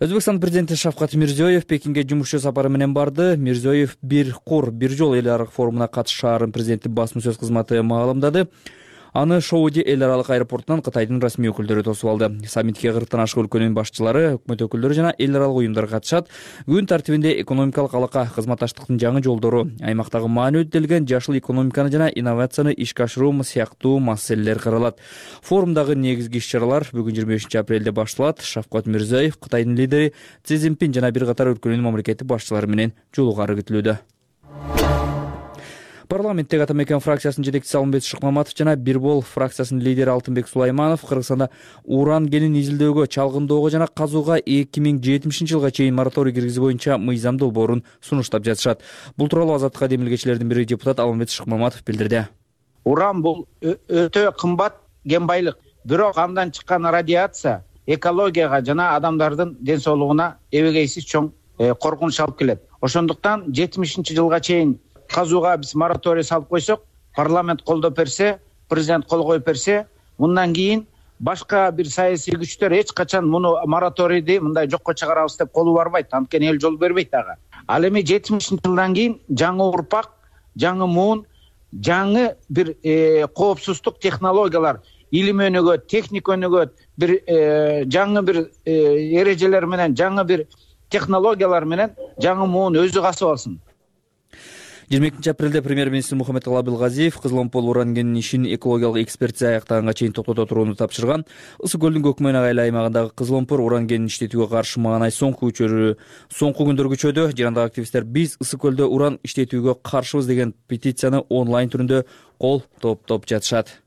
Өзбекстан президенти Шавкат Мирзиёев Пекинге жумушчу сапары менен барды. Мирзиёев бир кур, бир жол эл аралык форумуна катышып шаардын президенти басма сөз кызматы маалымдады. Аны Шоуди эл аралык аэропортунан Кытайдын расмий өкүлдөрү тосуп алды. Саммитке 40тан ашык өлкөнүн башчылары, өкмөт өкүлдөрү жана эл аралык уюмдар катышат. Күн тартибинде экономикалык алака, кызматташтыктын жаңы жолдору, аймактагы маанилүү делген жашыл экономиканы жана инновацияны ишке ашыруу сыяктуу маселелер каралат. Форумдагы негизги иш-чаралар бүгүн 25 апрелде башталат. Шавкат Мирзиёев Кытайдын лидери Си Цзиньпин жана бир катар өлкөнүн мамлекеттик башчылары менен жолугары күтүлүүдө. Парламенттеги Ата Мекен фракциясынын жетекчиси Алмамбет Шыкмаматов жана Бирбол фракциясынын лидери Алтынбек Сулайманов Кыргызстанда уран кенин изилдөөгө, чалгындоого жана казууга 2070 жылга чейин мораторий киргизүү боюнча мыйзам долбоорун сунуштап жатышат. Бул тууралуу Азаттыкка демилгечилердин бири депутат Алмамбет Шыкмаматов билдирди. Уран бул өтө кымбат кен байлык. Бирок андан чыккан радиация экологияга жана адамдардын ден соолугуна эбегейсиз чоң коркунуч алып келет. Ошондуктан 70 жылга чейин казууга биз мораторий салып койсок, парламент колдоп берсе, президент кол коюп берсе, мындан кийин башка бир саясий күчтөр эч качан муну мораторийди мындай жокко чыгарабыз деп колу барбайт. Анткени эл жол бербейт ага. Ал эми 70 жылдан кийин жаңы урпак, жаңы муун, жаңы бир коопсуздук технологиялар, илим өнүгөт, техника өнүгөт, бир жаңы бир эрежелер менен, жаңы бир технологиялар менен жаңы муун өзү касып алсын. 22 апрелде премьер-министр Мухаммедкалый Абылгазиев Кызыломпол уран кенинин ишин экологиялык экспертиза аяктаганга чейин токтото турууну тапшырган. Ысык көлдүн көкмөйнө айыл аймагындагы Кызыломпол уран кенинин иштетүүгө каршы маанай соңку күндөр күчөдү. Жырандагы активисттер биз ысык көлдө уран иштетүүгө каршыбыз деген петицияны онлайн түрүндө кол топтоп жатышат.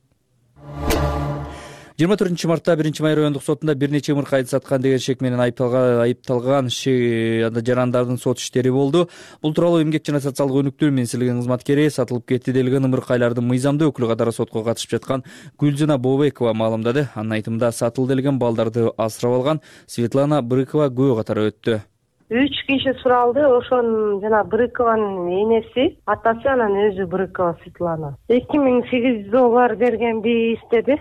24 мартта 1 май райондук сотунда бир нече ымыркайды саткан деген шек менен айыпталган жарандардын сот иштери болду. Бул тууралуу Эмгек жана социалдык өнүктүү министрлигинин кызматкери сатылып кетти делген ымыркайлардын мыйзамдуу өкүлү катары сотко катышып жаткан Гүлжана Бобекова маалымдады. Анын айтымында сатыл делген балдарды асырап алган Светлана Брыкова күбө катары өттү. 3 киши суралды. Ошонун жана Брыкованын энеси, атасы, анан өзү Брыкова Светлана. 2800 доллар бергенби издеди.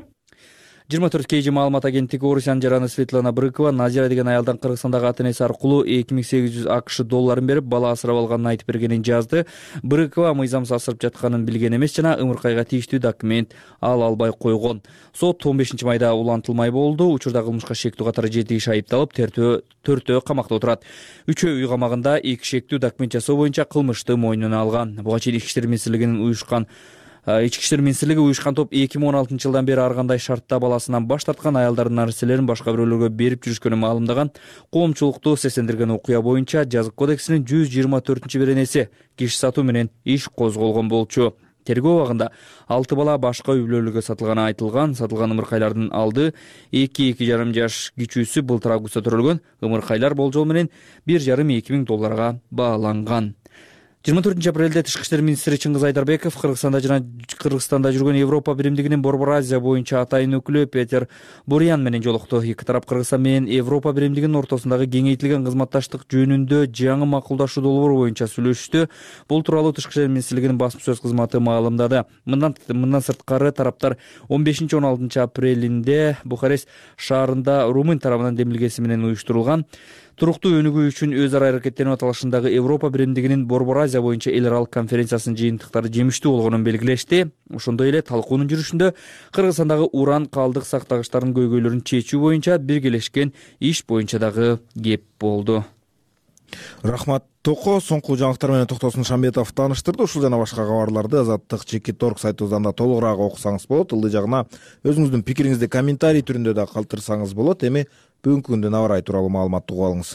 24 KG маалымат агенттиги Орусиянын жараны Светлана Брыкова Назира деген аялдан Кыргызстандагы ата-энеси аркылуу 2800 АКШ долларын берип, бала асырап алганын айтып бергенин жазды. Брыкова мыйзамсыз асырап жатканын билген эмес жана ымыркайга тийиштүү документ албай койгон. Сот 15 майда улантылмай болду. Учурда кылмышка шектүү катары 7 киши айыпталып, төртөө камакта отурат. Үчөө үй камагында 2 шектүү документ жасоо боюнча кылмышты мойнуна алган. Буга чейин Ички иштер министрлиги уюшкан топ 2016 жылдан бери ар кандай шартта баласынан баш тарткан, аялдардын нарселерин башка бирөөлөргө берип жүрүшкөнүн маалымдаган. Коомчулукту сескендирген окуя боюнча жазык кодексинин 124-беренеси киши сатуу менен иш козголгон болчу. Тергөө убагында 6 бала башка үй бүлөлөргө сатылганы айтылган. Сатылган ымыркайлардын алды 2,5 жаш кичүүсү былтыр августта төрөлгөн. Ымыркайлар болжол менен 1,5-2 миң долларга бааланган. 24 апрелде Тышкы иштер министри Чыңгыз Айдарбеков Кыргызстанда жүргөн Европа биримдигинин Борбор Азия боюнча атайын өкүлү Петер Бурян менен жолукту. Эки тарап Кыргызстан менен Европа биримдигинин ортосундагы кеңейтилген кызматташтык жөнүндө жаңы макулдашуу долбоору боюнча сүйлөшүштү. Бул тууралуу Тышкы иштер министрлигинин басма сөз кызматы маалымдады. Мындан сырткары тараптар 15-16 апрелинде Бухарест шаарында румын тарабынан демилгеси менен уюштурулган туруктуу өнүгүү үчүн өз ара аракеттенүү аталышындагы Европа биримдигинин Борбор Азия боюнча эл аралык конференциясынын жыйынтыктары жемиштүү болгонун белгилешти. Ошондой эле талкуунун жүрүшүндө Кыргызстандагы уран калдык сактагычтарынын көйгөйлөрүн чечүү боюнча биргелешкен иш боюнча дагы кеп болду. Рахмат Токо. Соңку жаңылыктар менен Токтосун Шамбетов тааныштырды. Ушул жана башка кабарларды Азаттык.org сайтыбыздан да толугураак окусаңыз болот. Ылдый жагына өзүңүздүн пикириңизди комментарий түрүндө да калтырсаңыз болот. Эми бүгүнкү күндүн аба ырайы тууралуу маалыматты угуп алыңыз.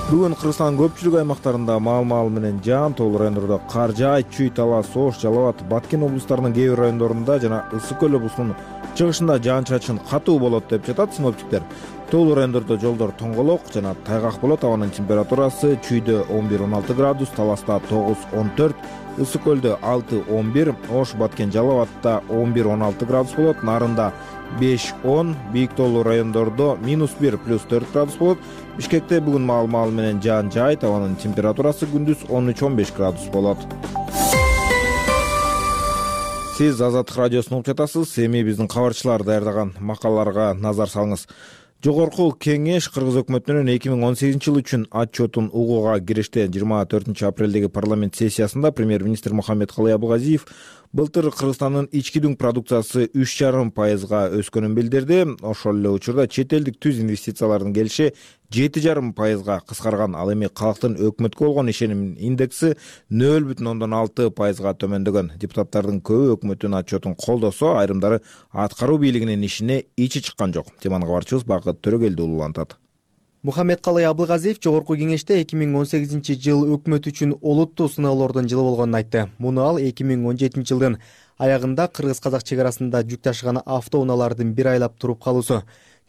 Бүгүн Кыргызстандын көпчүлүк аймактарында маал менен жаан, тоолуу райондордо кар жаайт. Чүй, Талас, Ош, Жалал Абад, Баткен облустарынын кээ бир райондорунда жана Ысык көл облусунун чыгышында жаан-чачын катуу болот деп жатат синоптиктер. Тоолуу райондордо жолдор тоңголок жана тайгак болот. Абанын температурасы Чүйдө 11-16 градус, Таласта 9-14, Ысык көлдө 6-11, Ош, Баткен, Жалал Абадта 11-16 градус болот. Нарында 5-10, бийик тоолуу райондордо -1 +4 градус болот. Бишкекте бүгүн маал менен жаан жаайт. Абанын температурасы күндүз 13-15 градус болот. Сиз Азаттык радиосун угуп жатасыз. Эми биздин кабарчылар даярдаган макалаларга назар салыңыз. Жогорку кеңеш Кыргыз өкмөтүнүн 2018 жыл үчүн отчетун угууга киришти. 24 апрелдеги парламент сессиясында премьер-министр Мухаммедкалый Абылгазиев былтыр Кыргызстандын ички дүң продукциясы 3,5% өскөнүн билдирди. Ошол эле учурда чет элдик түз инвестициялардын келиши 7,5% кыскарган. Ал эми калктын өкмөткө болгон ишеним индекси 0,6% төмөндөгөн. Депутаттардын көбү өкмөттүн отчетун колдосо, айрымдары аткаруу бийлигинин ишине ичи чыккан жок. Теманы кабарчыбыз Бакыт Төрөгелди улантат. Мухаммедкалый Абылгазиев жогорку кеңеште 2018 жыл өкмөт үчүн олуттуу сыноолордун жылы болгонун айтты. Муну ал 2017 жылдын аягында кыргыз-казак чек арасында жүк ташыган автоунаалардын бир айлап туруп калуусу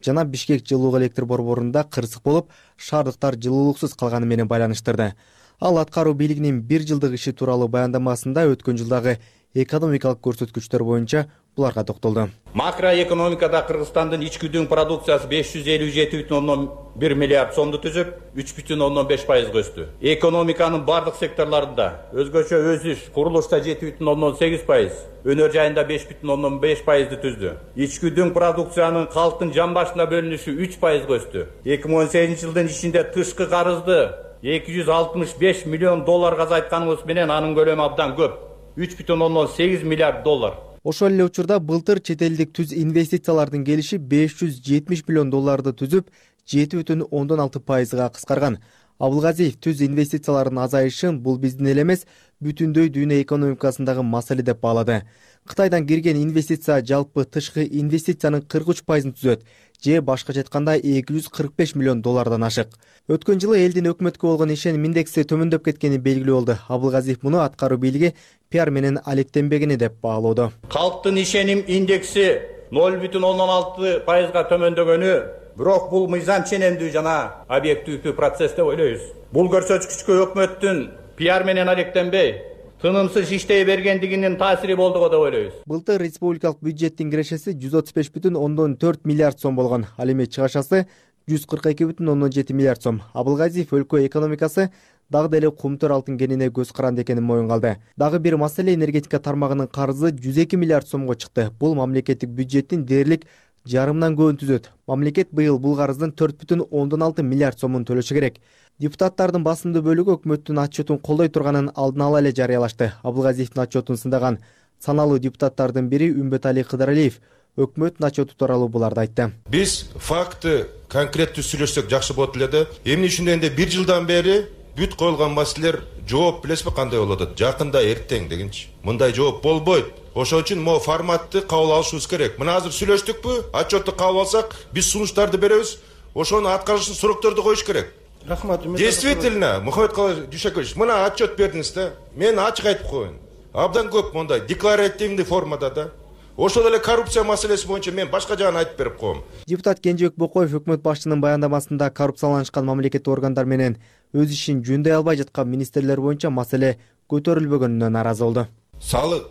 жана Бишкек жылуулук электр борборунда кырсык болуп, шаардыктар жылуулуксуз калганы менен байланыштырды. Ал аткаруу бийлигинин бир жылдык иши тууралуу баяндамасында өткөн жылдагы экономикалык көрсөткүчтөр боюнча буларга токтолду. Макроэкономикада Кыргызстандын ички дүң продукциясы 557,1 миллиард сомду түзүп, 3,5% өстү. Экономиканын бардык секторларында өзгөчө өсүш курулушта 7,8%, өнөр жайында 5,5%ды түздү. Ички дүң продукциянын калктын жан башына бөлүнүшү 3% өстү. 2018 жылдын ичинде тышкы карызды 265 миллион долларга азайтканыбыз менен анын көлөмү абдан көп. 3,8 миллиард доллар. Ошол эле учурда былтыр чет элдик түз инвестициялардын келиши 570 миллион долларды түзүп, 7,6%га кыскарган. Абылгазиев түз инвестициялардын азайышын бул биздин эле эмес, бүтүндөй дүйнө экономикасындагы маселе деп баалады. Кытайдан кирген инвестиция жалпы тышкы инвестициянын 43%-ын түзөт, же башкача айтканда 245 миллион доллардан ашык. Өткөн жылы элдин өкмөткө болгон ишеним индекси төмөндөп кеткени белгилүү болду. Абылгазиев муну аткаруу бийлиги пиар менен алектенбегени деп баалоодо. Калктын ишеним индекси 0,6%га төмөндөгөнү, бирок бул мыйзам ченемдүү жана объективдүү процесс деп ойлойбуз. Бул көрсөткүчкө өкмөттүн пиар менен алектенбей, тынымсыз иштей бергендигинин таасири болду деп ойлойбуз. Былтыр республикалык бюджеттин кирешеси 135,4 миллиард сом болгон. Ал эми чыгашасы 142,7 миллиард сом. Абылгазиев өлкө экономикасы дагы деле кумтөр алтын кенине көз каранды экенин моюнга. Дагы бир маселе энергетика тармагынын карызы 102 миллиард сомго чыкты. Бул мамлекеттик бюджеттин дээрлик жарымынан көбүн түзөт. Мамлекет быйыл бул карыздын 4,6 миллиард сомун төлөшү керек. Депутаттардын басымдуу бөлүгү өкмөттүн отчетун колдой турганын алдын ала эле жарыялашты. Абылгазиевдин отчетун сындаган саналуу депутаттардын бири Үмбөтали Кыдыралиев өкмөттүн отчету тууралуу буларды айтты. Биз факты конкреттүү сүйлөшсөк жакшы болот эле. Эмне үчүн дегенде 1 жылдан бери бүт коюлган маселелер жооп билесизби кандай болот атат? Жакында эртең дегенчи. Мындай жооп болбойт. Ошон үчүн могу форматты кабыл алышыбыз керек. Мына азыр сүйлөштүкпү? Отчетту кабыл алсак, биз сунуштарды беребиз. Ошону аткарышын срокторду коюш керек. Рахмат. Действительно, Мухаммед Дүйшөкөевич, мына отчет бердиңиз да. Мен ачык айтып коеюн. Абдан көп мондай декларативдүү формада да. Ошол эле коррупция маселеси боюнча мен башка жагын айтып берип коем. Депутат Кенжебек Бокоев өкмөт башчынын баяндамасында коррупцияланышкан мамлекеттик органдар менен өз ишин жөндөй албай жаткан министрлер боюнча маселе көтөрүлбөгөнүнө нааразы болду. Салык,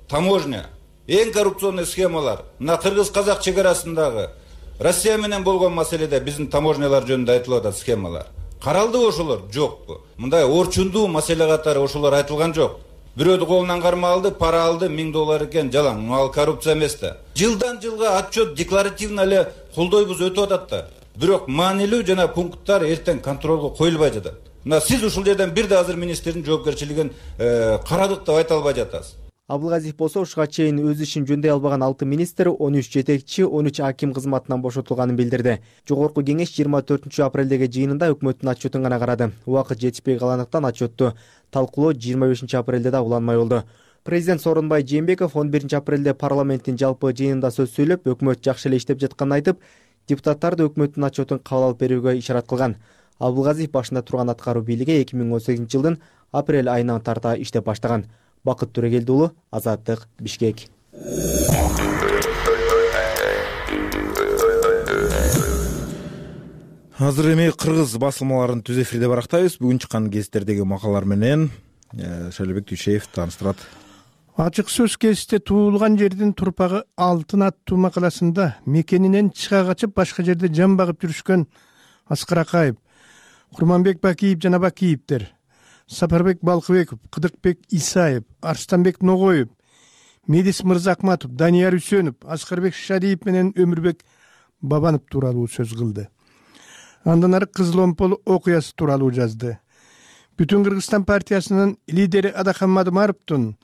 таможня, эң коррупционный схемалар мына кыргыз-казак чек арасындагы Россия менен болгон маселеде биздин таможнялар жөнүндө айтылып атат схемалар. Каралдыбы ошолор? Жокпу. Мындай орчундуу маселе катары ошолор айтылган жок. Бирөөдү колунан карма алды, пара алды, $1000 экен, жалаң. Ал коррупция эмес да. Жылдан жылга отчет декларативно эле колдойбуз өтүп атат да. Бирок маанилүү жана пункттар эртең контролго коюлбай жатат. Мына сиз ушул жерден бир да азыр министрдин жоопкерчилигин карадык деп айта албай жатасыз. Абылгазиев болсо ушуга чейин өз ишин жөндөй албаган 6 министр 13 жетекчи, 13 аким кызматынан бошотулганын билдирди. Жогорку кеңеш 24 апрелдеги жыйынында өкмөттүн отчетун гана карады. Убакыт жетишпей калгандыктан отчетту талкуулоо 25 апрелде да уланмай болду. Президент Сооронбай Жээнбеков 11 апрелде парламенттин жалпы жыйынында сөз сүйлөп, өкмөт жакшы эле иштеп жатканын айтып, депутаттарды өкмөттүн отчетун кабыл алып берүүгө ишарат кылган. Абылгазиев башында турган аткаруу бийлиги 2018 жылдын апрель айынан тарта иштеп баштаган. Бакыт Төрөгелди уулу, Азаттык, Бишкек. Азыр эми кыргыз басылмаларын түз эфирде барактайбыз. Бүгүн чыккан гезиттердеги макалалар менен Шайлебек Дүйшеев тааныштырат. Ачык сөз гезитте туулган жердин турпагы алтын аттуу макаласында мекенинен чыга качып башка жерде жан багып жүрүшкөн Аскар Акаев, Курманбек Бакиев жана Бакиевдер, Сапарбек Балкыбеков, Кыдыкбек Исаев, Арстанбек Ногоев, Медис Мырзакматов, Данияр Үсөнов, Аскарбек Шадиев менен Өмүрбек Бабанов тууралуу сөз кылды. Андан ары Кызыл Омпол окуясы тууралуу жазды. Бүтүн Кыргызстан партиясынын лидери Адахан Мадымаровдун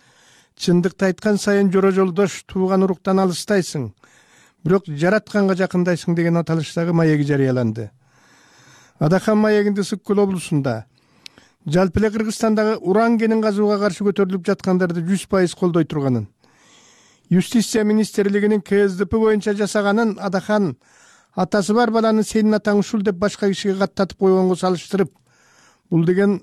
чындыкты айткан сайын жора жолдош тууган уруктан алыстайсың, бирок жаратканга жакындайсың деген аталыштагы маеги жарыяланды. Адахан маегинде Ысык-Көл облусунда жалпы эле Кыргызстандагы уран кенин казууга каршы көтөрүлүп жаткандарды 100% колдой турганын, Юстиция министрлигинин КСДП боюнча жасаганын Адахан атасы бар баланы сенин атаң ушул деп башка кишиге каттатып койгонго салыштырып, бул деген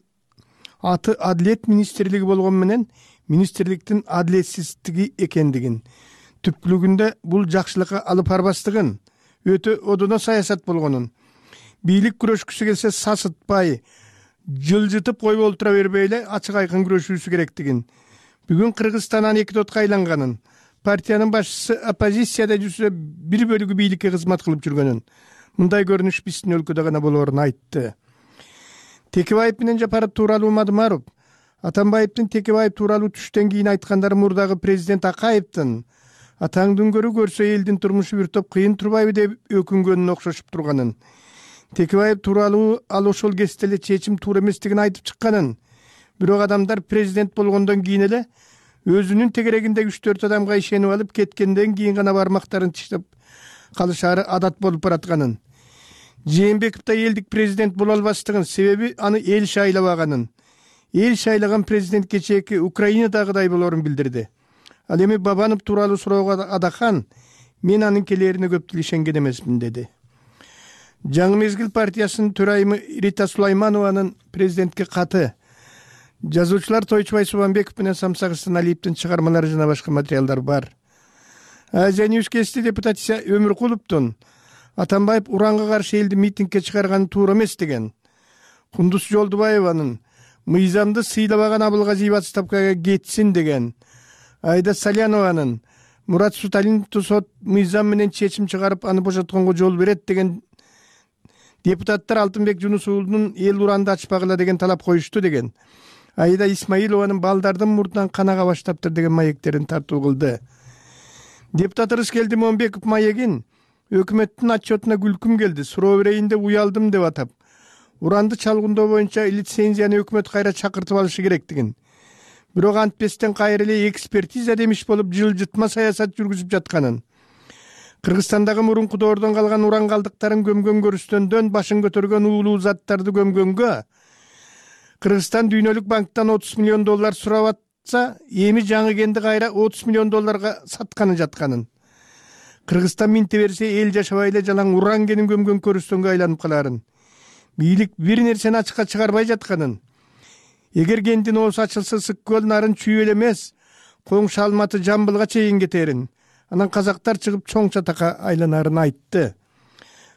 аты Адилет министрлиги болгон менен министрликтин адилетсиздиги экендигин, түпкүлүгүндө бул жакшылыкка алып барбастыгын, өтө одоно саясат болгонун, бийлик күрөшкүсү келсе сасытпай, жылжытып коюп олтура бербей эле ачык айкын күрөшүүсү керектигин, бүгүн Кыргызстандан эки тотко айланганын, партиянын башчысы оппозицияда жүрсө бир бөлүгү бийликке кызмат кылып жүргөнүн, мындай көрүнүш биздин өлкөдө гана болоорун айтты. Текебаев менен Жапаров тууралуу Мадымаров, Атамбаевдин Текебаев тууралуу түштөн кийин айткандары мурдагы президент Акаевдин атаңдын көрү көрсө элдин турмушу бир топ кыйын турбайбы деп өкүнгөнүн окшошуп турганын, Текебаев тууралуу ал ошол кезде эле чечим туура эместигин айтып чыкканын, бирок адамдар президент болгондон кийин эле өзүнүн тегерегиндеги 3-4 адамга ишенип алып кеткенден кийин гана бармактарын тиштеп калышары адат болуп баратканын, Жээнбеков да элдик президент боло албастыгын, себеби аны эл шайлабаганын, эл шайлаган президент кечээки Украинадагыдай болоорун билдирди. Ал эми Бабанов тууралуу суроого Адахан, мен анын келээрине көп ишенген эмесмин деди. Жаңы мезгил партиясынын төрайымы Рита Сулайманованын президентке каты, жазуучулар Тойчубай Субанбеков менен Самсак Ысаналиевдин чыгармалары жана башка материалдар бар. Азия Ньюс кести депутат Өмүркуловдун Атамбаев уранга каршы элди митингге чыгарганы туура эмес деген, Кундуз Жолдубаеванын мыйзамды сыйлабаган Абылгазиев отставкага кетсин деген, Айда Салянованын Мурат Суталиновду сот мыйзам менен чечим чыгарып аны бошотконго жол берет деген Депутаттар Алтынбек Жунус уулунун эл уранды ачпагыла деген талап коюшту деген. Аида Исмаилованын балдардын мурдунан канага баштаптыр деген маектерин тартуу кылды. Депутат Рыскелди Момбеков маегин өкмөттүн отчетуна күлкүм келди, суроо берейин деп уялдым деп атап, уранды чалгындоо боюнча лицензияны өкмөт кайра чакыртып алышы керектигин, бирок антпестен кайра эле экспертиза демиш болуп жылжытма саясат жүргүзүп жатканын, Кыргызстандагы мурунку доордон калган уран калдыктарын көмгөн көрүстөндөн башын көтөргөн уулуу заттарды көмгөнгө Кыргызстан Дүйнөлүк банктан $30 миллион сурап атса, эми жаңы кенди кайра $30 миллион сатканы жатканын. Кыргызстан минте берсе эл жашабай эле жалаң уран кенин көмгөн көрүстөнгө айланып каларын. Бийлик бир нерсени ачыкка чыгарбай жатканын. Эгер кендин оосу ачылса Сык көл нарын чүй эле эмес, Коңшу Алматы Жамбылга чейин кетерин. Анан казактар чыгып чоң чатакка айланарын айтты.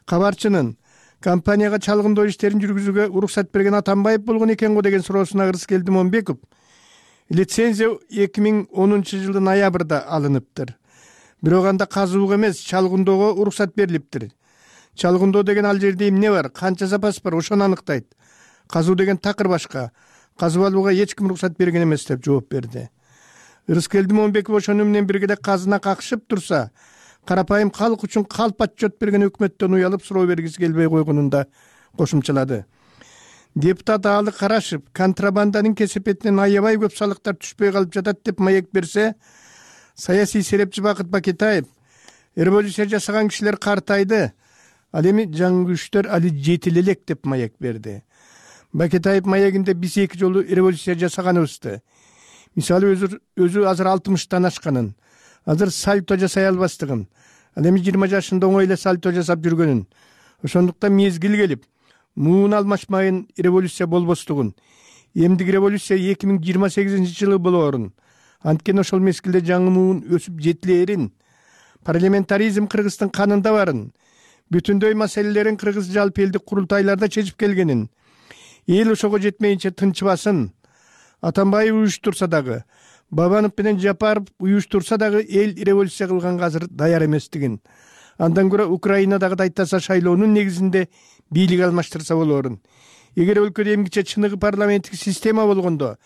Кабарчынын компанияга чалгындоо иштерин жүргүзүүгө уруксат берген Атамбаев болгон экен го деген суроосуна Рыскелди Момбеков лицензия 2010 жылдын ноябрда алыныптыр. Бирок анда казууга эмес, чалгындоого уруксат берилиптир. Чалгындоо деген ал жерде эмне бар, канча запас бар, ошону аныктайт. Казуу деген такыр башка. Казып алууга эч ким уруксат берген эмес деп жооп берди. Рыскелди Момбеков ошону менен бирге эле казына какшып турса, карапайым калк үчүн калп отчет берген өкмөттөн уялып суроо бергиси келбей койгонун да кошумчалады. Депутат Аалы Карашев контрабанданын кесепетинен аябай көп салыктар түшпөй калып жатат деп маек берсе, саясий серепчи Бакыт Бакетаев революция жасаган кишилер картайды, ал эми жаңы күчтөр али жетил элек деп маек берди. Бакетаев маегинде биз 2 жолу революция жасаганыбызды, мисалы өзү азыр 60-тан ашканын, азыр сальто жасай албастыгын, ал эми 20 жашында оңой эле сальто жасап жүргөнүн, ошондуктан мезгил келип муун алмашмайын революция болбостугун, эмдиги революция 2028 жылы болоорун, анткени ошол мезгилде жаңы муун өсүп жетилээрин, парламентаризм Кыргыздын канында барын, бүтүндөй маселелерин кыргыз жалпы элдик курултайларда чечип келгенин, эл ошого жетмейинче тынчыбасын, Атамбаев уюштурса дагы, Бабанов менен Жапаров уюштурса дагы эл революция кылганга азыр даяр эместигин, андан көрө Украинадагы дайтаса шайлоонун негизинде бийлик алмаштырса болоорун. Эгер өлкөдө эмгиче чыныгы парламенттик система болгондо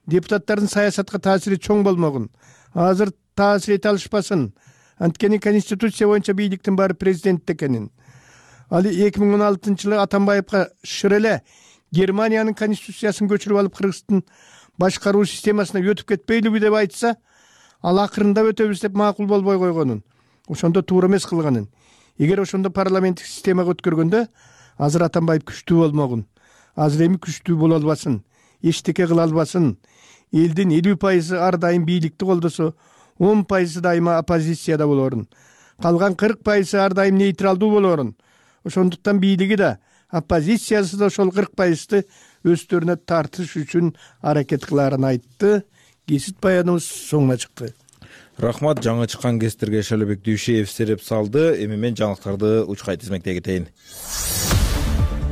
депутаттардын саясатка таасири чоң болмогун, азыр таасир эте алышпасын, анткени конституция боюнча бийликтин баары президентте экенин. Ал 2016 жылы Атамбаевга шыр эле Германиянын конституциясын көчүрүп алып Кыргыздын башкаруу системасына өтүп кетпейлиби деп айтса, ал акырында өтөбүз деп макул болбой койгонун, ошондо туура эмес кылганын. Эгер ошондо парламенттик системага өткөргөндө азыр Атамбаев күчтүү болмогун, азыр эми күчтүү боло албасын, эчтеке кыла албасын. Элдин 50% ар дайым бийликти колдосо, 10% дайыма оппозицияда болоорун, калган 40% ар дайым нейтралдуу болоорун. Ошондуктан бийлиги да, оппозициясы да ошол 40%-ты өздөрүнө тартыш үчүн аракет кылаарын айтты. Кесит баяныбыз соңуна чыкты. Рахмат, жаңы чыккан кеситтерге Шайлообек Дүйшеев сереп салды. Эми мен жаңылыктарды учкай тизмектей кетейин.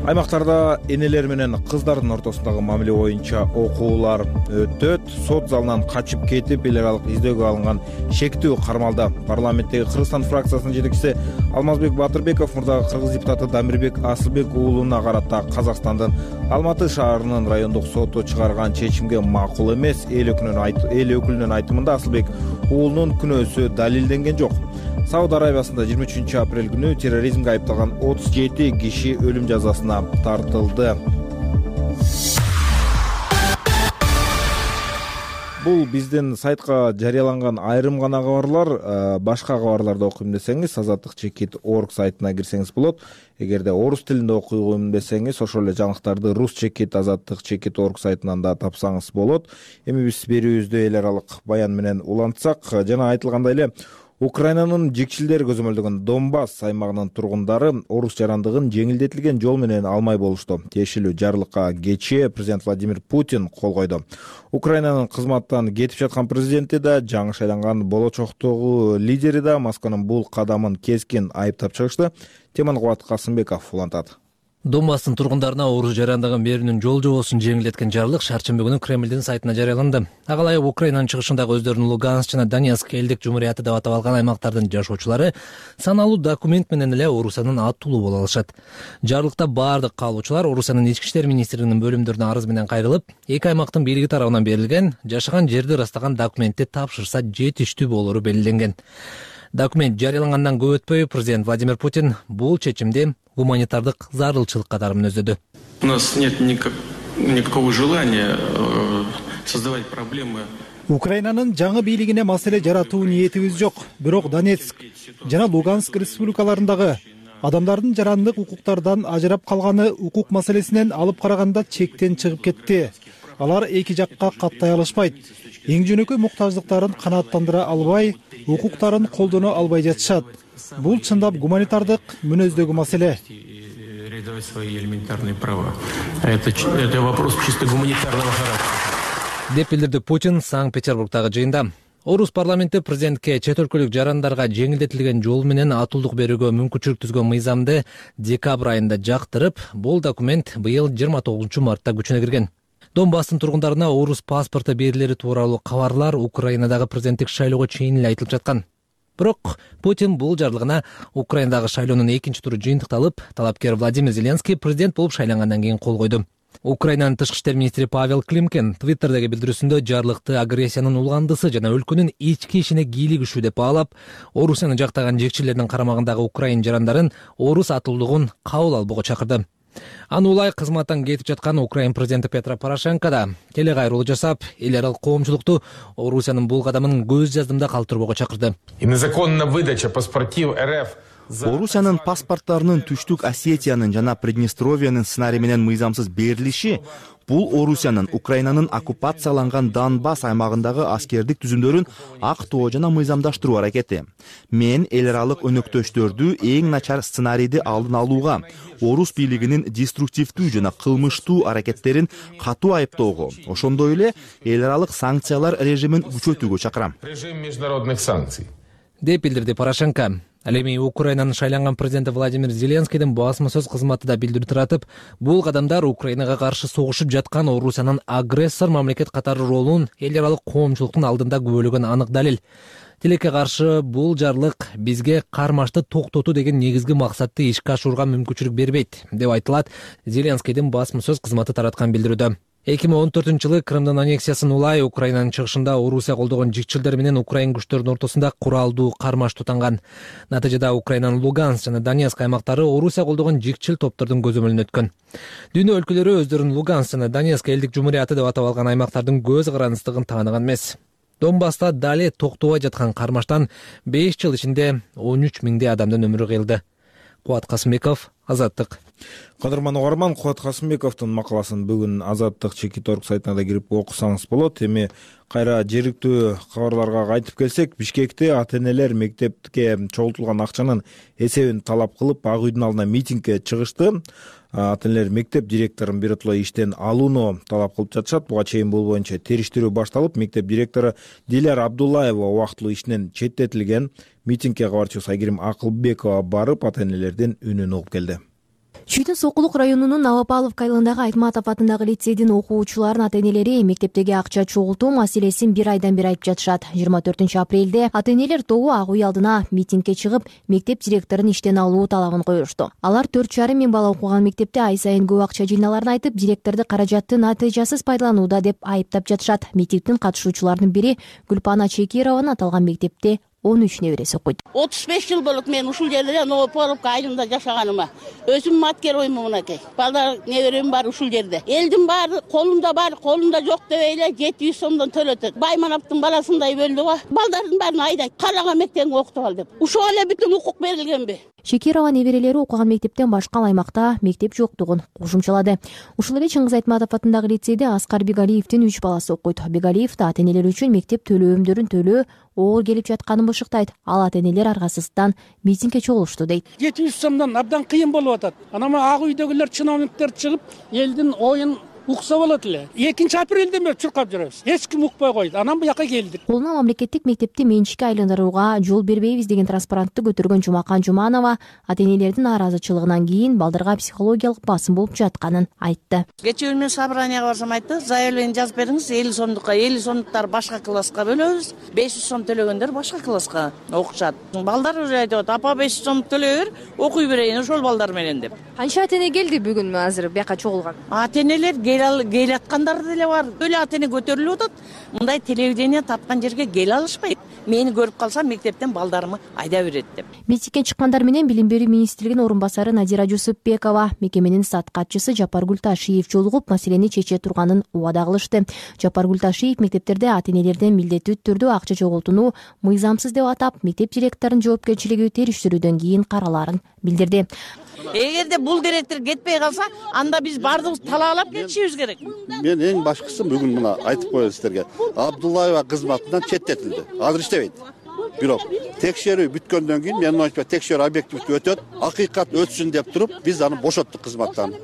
Аймактарда энелер менен кыздардын ортосундагы мамиле боюнча окуулар өтөт. Сот залынан качып кетип, эл аралык издөөгө алынган шектүү кармалда. Парламенттеги Кыргызстан фракциясынын жетекчиси Алмазбек Батырбеков мурдагы кыргыз депутаты Дамирбек Асылбек уулуна карата Казакстандын Алматы шаарынын райондук соту чыгарган чечимге макул эмес. Эл өкүлүнүн айтымында Асылбек уулунун күнөөсү далилденген жок. Сауд Арабиясында 23 апрель күнү терроризмге айыпталган 37 киши өлүм жазасына тартылды. Бул биздин сайтка жарыяланган айрым гана кабарлар. Башка кабарларды окуйм десеңиз, azatdыкчекит.org сайтына кирсеңиз болот. Эгерде орус тилинде окуйм десеңиз, ошол эле жаңылыктарды rus.chekit azatdыкчекит.org сайтынан да тапсаңыз болот. Эми биз берүүбүздү эл аралык баян менен улантсак, жана айтылгандай эле Украинанын жекчилдери көзөмөлдөгөн Донбасс аймагынын тургундары орус жарандыгын жеңилдетилген жол менен алмай болушту. Тиешелүү жарлыкка кечээ президент Владимир Путин кол койду. Украинанын кызматтан кетип жаткан президенти да, жаңы шайланган болочоктогу лидери да Москванын бул кадамын кескин айыптап чыгышты. Теманы Кубат Касымбеков улантат. Донбасстын тургундарына орус жарандаган берүүнүн жол жобосун жеңилдеткен жарлык шаршемби күнү Кремлдин сайтына жарыяланды. Ага ылайык Украинанын чыгышындагы өздөрүнүн Луганск жана Донецк элдик жумурияты деп атап алган аймактардын жашоочулары саналуу документ менен эле Орусиянын аттуулуу боло алышат. Жарлыкта баардык каалоочулар Орусиянын ички иштер министрлигинин бөлүмдөрүнө арыз менен кайрылып, эки аймактын бийлиги тарабынан берилген жашаган жерди ырастаган документти тапшырса жетиштүү болору белгиленген. Документ жарыялангандан көп өтпөй президент Владимир Путин бул чечимди гуманитардык зарылчылык катары мүнөздөдү. У нас нет никакого желания создавать проблемы. Украинанын жаңы бийлигине маселе жаратуу ниетибиз жок. Бирок Донецк жана Луганск республикаларындагы адамдардын жарандык укуктардан ажырап калганы укук маселесинен алып караганда чектен чыгып кетти. Алар эки жакка каттай алышпайт. Эң жөнөкөй муктаждыктарын канааттандыра албай, укуктарын колдоно албай жатышат. Бул чындап гуманитардык мүнөздөгү маселе. Реализовать свои элементарные права. Это вопрос чисто гуманитарного характера. Деп билдирди Путин Санкт-Петербургдагы жыйында. Орус парламенти президентке чет өлкөлүк жарандарга жеңилдетилген жол менен атуулдук берүүгө мүмкүнчүлүк түзгөн мыйзамды декабрь айында жактырып, бул документ быйыл 29 мартта күчүнө кирген. Донбасстын тургундарына орус паспорту берилери тууралуу кабарлар Украинадагы президенттик шайлоого чейин эле айтылып жаткан. Бирок Путин бул жарлыгына Украинадагы шайлоонун экинчи туру жыйынтыкталып, талапкер Владимир Зеленский президент болуп шайлангандан кийин кол койду. Украинанын тышкы иштер министри Павел Климкин Твиттердеги билдирүүсүндө жарлыкты агрессиянын улгандысы жана өлкөнүн ички ишине кийлигишүү деп баалап, Орусияны жактаган жекчилердин карамагындагы украин жарандарын орус атуулдугун кабыл албоого чакырды. Аны улай кызматтан кетип жаткан Украин президенти Петро Порошенко да келе кайрылуу жасап, эл аралык коомчулукту Орусиянын бул кадамын көз жаздымда калтырбоого чакырды. Незаконная выдача паспортив РФ. Орусиянын паспорттарынын Түштүк Осетиянын жана Приднестровиянын сценарий менен мыйзамсыз берилиши бул Орусиянын Украинанын оккупацияланган Донбасс аймагындагы аскердик түзүмдөрүн актоо жана мыйзамдаштыруу аракети. Мен эл аралык өнөктөштөрдү эң начар сценарийди алдын алууга, орус бийлигинин деструктивдүү жана кылмыштуу аракеттерин катуу айыптоого, ошондой эле эл аралык санкциялар режимин күчөтүүгө чакырам. Режим международных санкций. Деп билдирди Порошенко. Ал эми Украинанын шайланган президенти Владимир Зеленскийдин басма сөз кызматы да билдирүү таратып, бул кадамдар Украинага каршы согушуп жаткан Орусиянын агрессор мамлекет катары ролун эл аралык коомчулуктун алдында күбөлөгөн анык далил. Тилекке каршы бул жарлык бизге кармашты токтотуу деген негизги максатты ишке ашырууга мүмкүнчүлүк бербейт, деп айтылат Зеленскийдин басма сөз кызматы тараткан билдирүүдө. 2014-жылы Крымдын аннексиясын улай Украинанын чыгышында Орусия колдогон жикчилдер менен Украин күчтөрүнүн ортосунда куралдуу кармаш тутанган. Натыйжада Украинанын Луганск жана Донецк аймактары Орусия колдогон жикчил топтордун көзөмөлүнө өткөн. Дүйнө өлкөлөрү өздөрүн Луганск жана Донецк элдик жумурияты деп атап алган аймактардын көз карандыстыгын тааныган эмес. Донбасста дали токтобой жаткан кармаштан 5 жыл ичинде 13 миңдей адамдын өмүрү кыйылды. Кубат Касымбеков, Азаттык. Кадырман угарман, Кубат Касымбековдун макаласын бүгүн Азаттык Чекиторг сайтына да кирип окусаңыз болот. Эми кайра жергиликтүү кабарларга кайтып келсек, Бишкекте ата-энелер мектепке чогултулган акчанын эсебин талап кылып, Ак үйдүн алдына митингге чыгышты. Ата-энелер мектеп директорун биротоло иштен алууну талап кылып жатышат. Буга чейин бул боюнча териштирүү башталып, мектеп директору Диляр Абдуллаева убактылуу иштен четтетилген. Митингге кабарчыбыз Айгерим Акылбекова барып, ата-энелердин үнүн угуп келди. Чүйдүн Сокулук районунун Новопавловка айылындагы Айтматов атындагы лицейдин окуучуларынын ата-энелери мектептеги акча чогултуу маселесин бир айдан бери айтып жатышат. 24-апрелде ата-энелер тобу Ак үй алдына митингге чыгып, мектеп директорун иштен алуу талабын коюшту. Алар 4,5 миң бала окуган мектепте ай сайын көп акча жыйналарын айтып, директорду каражатты натыйжасыз пайдаланууда деп айыптап жатышат. Митингдин катышуучуларынын бири Гүлпана Чекированын аталган мектепте 13 небереси окуйт. 35 жыл болуп мен ушул жерде Новопавловка айылында жашаганыма. Өзүм маткероймун мынакей. Балдар неберем бар ушул жерде. Элдин баары колунда жок дебейле 700 сомдон төлөтөт. Баймановдун баласындай бөлдү го. Балдардын баарын айдайт. Карага мектепте окутуп ал деп. Ушул эле бүтүн укук берилгенби? Шекирова неберелери окуган мектептен башка аймакта мектеп жоктугун кошумчалады. Ушул эле Чыңгыз Айтматов атындагы лицейде Аскар Бегалиевдин 3 баласы окуйт. Бегалиев да ата-энелер үчүн мектеп төлөөмдөрүн төлөө оор келип жатканын бышыктайт. Ал ата-энелер аргасыздан митингге чогулушту дейт. 700 сомдон абдан кыйын болуп атат. Анан Ак үйдөгүлөр чиновниктер чыгып, элдин оюн укса болот эле. 2-апрелден бери чуркап жүрөбүз. Эч ким укпай койду. Анан буяка келдик. Колуна мамлекеттик мектепти менчикке айландырууга жол бербейбиз деген транспарантты көтөргөн Жумакан Жуманова ата-энелердин нааразычылыгынан кийин балдарга психологиялык басым болуп жатканын айтты. Кечээ мен собранияга барсам айтты, заявление жазып бериңиз, 50 сомдукка, 50 сомдуктар башка класска бөлөбүз, 500 сом төлөгөндөр башка класска окушат. Балдар айтып, апа 500 сом төлөй бер, окуй берейин ошол балдар менен деп. Канча ата-эне келди бүгүн азыр бияка чогулган? Ата-энелер келе аткандар деле бар. Өлө ата-эне көтөрүлүп атат. Мындай телевидение тапкан жерге келе алышпайт. Мени көрүп калса мектептен балдарымы айда берет деп. Митингке чыккандар менен Билим берүү министрлигинин орун басары Надира Жусупбекова, мекеменин сат катчысы Жапаргүл Ташиев жолугуп маселени чече турганын убада кылышты. Жапаргүл Ташиев мектептерде ата-энелерден милдеттүү түрдө акча чогултууну мыйзамсыз деп атап, мектеп директорунун жоопкерчилиги териштирүүдөн кийин каралаарын билдирди. Эгерде бул директор кетпей калса, анда биз бардыгыбыз талаалап кетишибиз керек. Мен эң башкысы бүгүн мына айтып коеюн сиздерге. Абдуллаева кызматынан четтетилди. Азыр иштебейт. Бирок текшерүү бүткөндөн кийин мен ойчу текшерүү объективдүү өтөт, акыйкат өтсүн деп туруп, биз аны бошоттук кызматтан.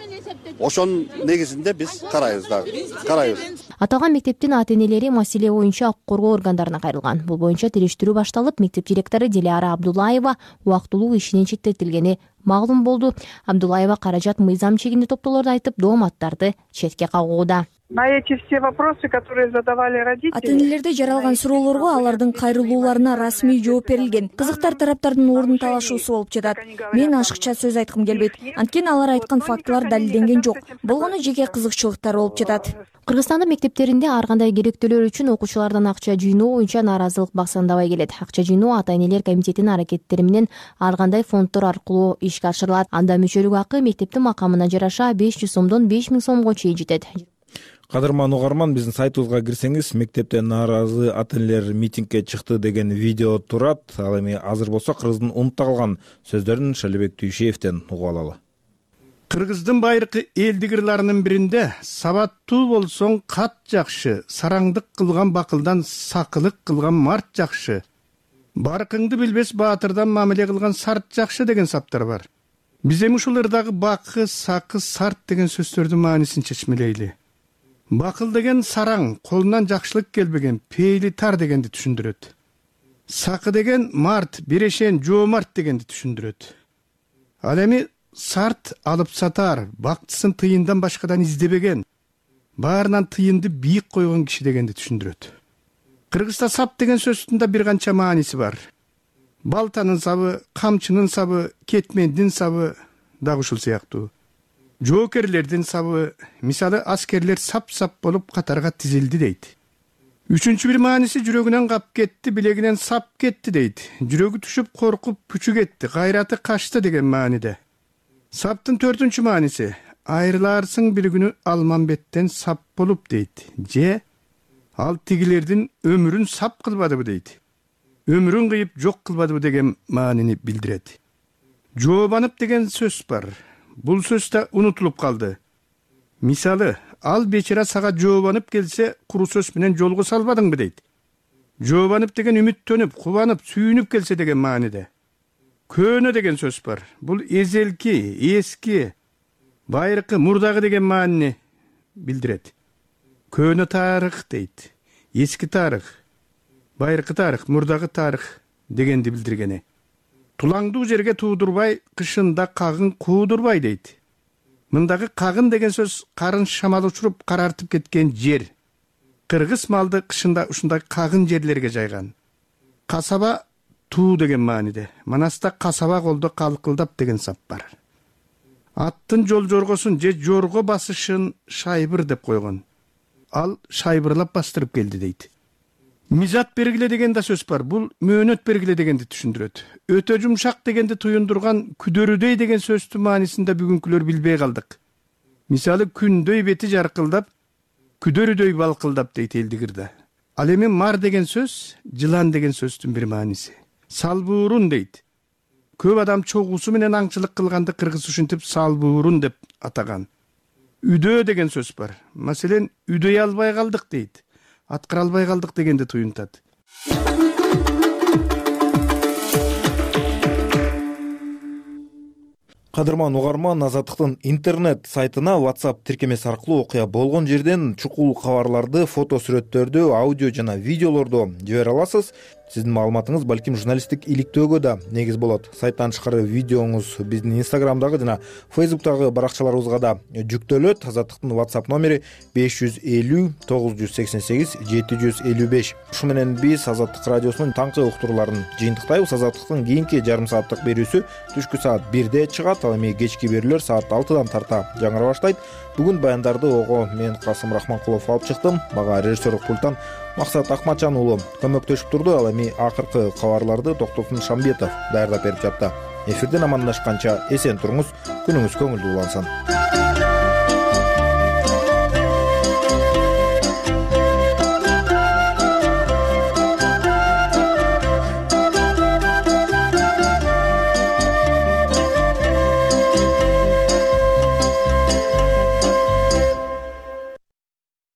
Ошонун негизинде биз карайбыз дагы. Аталган мектептин ата-энелери маселе боюнча укук коргоо органдарына кайрылган. Бул боюнча териштирүү башталып, мектеп директору Диляра Абдуллаева убактылуу ишинен четтетилгени маалым болду. Абдуллаева каражат мыйзам чегинде топтоолорду айтып, дооматтарды четке кагууда. На эти все вопросы, которые задавали родители, ата-энелерде жаралган суроолорго алардын кайрылууларына расмий жооп берилген. Кызыктар тараптардын ордун талашуусу болуп жатат. Мен ашыкча сөз айткым келбейт. Анткени алар айткан фактылар далилденген жок. Болгону жеке кызыкчылыктар болуп жатат. Кыргызстандын мектептеринде ар кандай керектөөлөр үчүн окуучулардан акча жыйноо боюнча нааразылык баксандабай келет. Акча жыйноо ата-энелер комитетинин аракеттери менен ар кандай фонддор аркылуу ишке ашырылат. Анда мүчөлүк акы мектептин макамына жараша 500 сомдон 5000 сомго чейин жетет. Кадырман угарман, биздин сайтыбызга кирсеңиз, мектептен нааразы ата-энелер митингке чыкты деген видео турат. Ал эми азыр болсо Кыргыздын унутта калган сөздөрүн Шалибек Түйшеевден угуп алалы. Кыргыздын байыркы элдик ырларынын биринде сабаттуу болсоң кат жакшы, сараңдык кылган бакылдан сакылык кылган март жакшы, баркыңды билбес баатырдан мамиле кылган сарт жакшы деген саптар бар. Биз эми ушул ырдагы бакы, сакы, сарт деген сөздөрдүн маанисин чечмелейли. Бакыл деген сараң, колунан жакшылык келбеген, пейли тар дегенди түшүндүрөт. Сакы деген март, бирешен, жоомарт дегенди түшүндүрөт. Ал эми сарт алып сатар, бактысын тыйындан башкадан издебеген, баарынан тыйынды бийик койгон киши дегенди түшүндүрөт. Кыргызда сап деген сөздүн да бир канча мааниси бар. Балтанын сабы, камчынын сабы, кетмендин сабы дагы ушул сыяктуу. Жоокерлердин сабы, мисалы аскерлер сап-сап болуп катарга тизилди дейт. Үчүнчү бир мааниси жүрөгүнөн кап кетти, билегинен сап кетти дейт. Жүрөгү түшүп коркуп пүчү кетти, кайраты качты деген мааниде. Саптын төртүнчү мааниси айрыларсың бир күнү Алмамбеттен сап болуп дейт. Же ал тигилердин өмүрүн сап кылбадыбы дейт. Өмүрүн кыйып жок кылбадыбы деген маанини билдирет. Жообанып деген сөз бар. Бул сөз да унутулуп калды. Мисалы, ал бечара сага жообанып келсе, куру сөз менен жолго салбадыңбы дейт. Жообанып деген үмүттөнүп, кубанып, сүйүнүп келсе деген мааниде. Көөнө деген сөз бар. Бул эзелки, эски, байыркы, мурдагы деген маанини билдирет. Көөнө тарых дейт. Эски тарых, байыркы тарых, мурдагы тарых дегенди билдиргени. Тулаңдуу жерге туудурбай, кышында кагын куудурбай дейт. Мындагы кагын деген сөз карын шамал учуруп карартып кеткен жер. Кыргыз малды кышында ушундай кагын жерлерге жайган. Касаба туу деген мааниде. Манаста касаба колдо калкылдап деген сап бар. Аттын жол жоргосун же жорго басышын шайбыр деп койгон. Ал шайбырлап бастырып келди дейт. Мизат бергиле деген да сөз бар. Бул мөөнөт бергиле дегенди түшүндүрөт. Өтө жумшак дегенди туюндурган күдөрүдөй деген сөздүн маанисинде бүгүнкүлөр билбей калдык. Мисалы күндөй бети жаркылдап, күдөрүдөй балкылдап дейт элдик ырда. Ал эми мар деген сөз, жылан деген сөздүн бир мааниси. Салбуурун дейт. Көп адам чогуусу менен аңчылык кылганды кыргыз ушинтип салбуурун деп атаган. Үдөө деген сөз бар. Маселен, үдөй албай калдык дейт. Аткара албай калдык дегенди туюнтат. Кадырман угарман, Азаттыктын интернет сайтына WhatsApp тиркемеси аркылуу окуя болгон жерден чукул кабарларды, фото сүрөттөрдү, аудио жана видеолорду жибере аласыз. Сиздин маалыматыңыз балким журналисттик иликтөөгө да негиз болот. Сайттан тышкары видеоңуз биздин Instagramдагы жана Facebook'тагы баракчаларыбызга да жүктөлөт. Азаттыктын WhatsApp номери 550 988 755. Ушу менен биз Азаттык радиосунун таңкы уктурууларын жыйынтыктайбыз. Азаттыктын кийинки жарым сааттык берүүсү түшкү саат 1де чыгат. Ал эми кечки берүүлөр саат 6дан тарта жаңыра баштайт. Бүгүн баяндарды ого мен Касым Рахманкулов алып чыктым. Мага режиссерлук пульттан Максат Акматжан уулу көмөктөшүп турду. Ал эми акыркы кабарларды Токтосун Шамбетов даярдап берип жатты. Эфирден амандашканча эсен туруңуз, күнүңүз көңүлдүү улансын.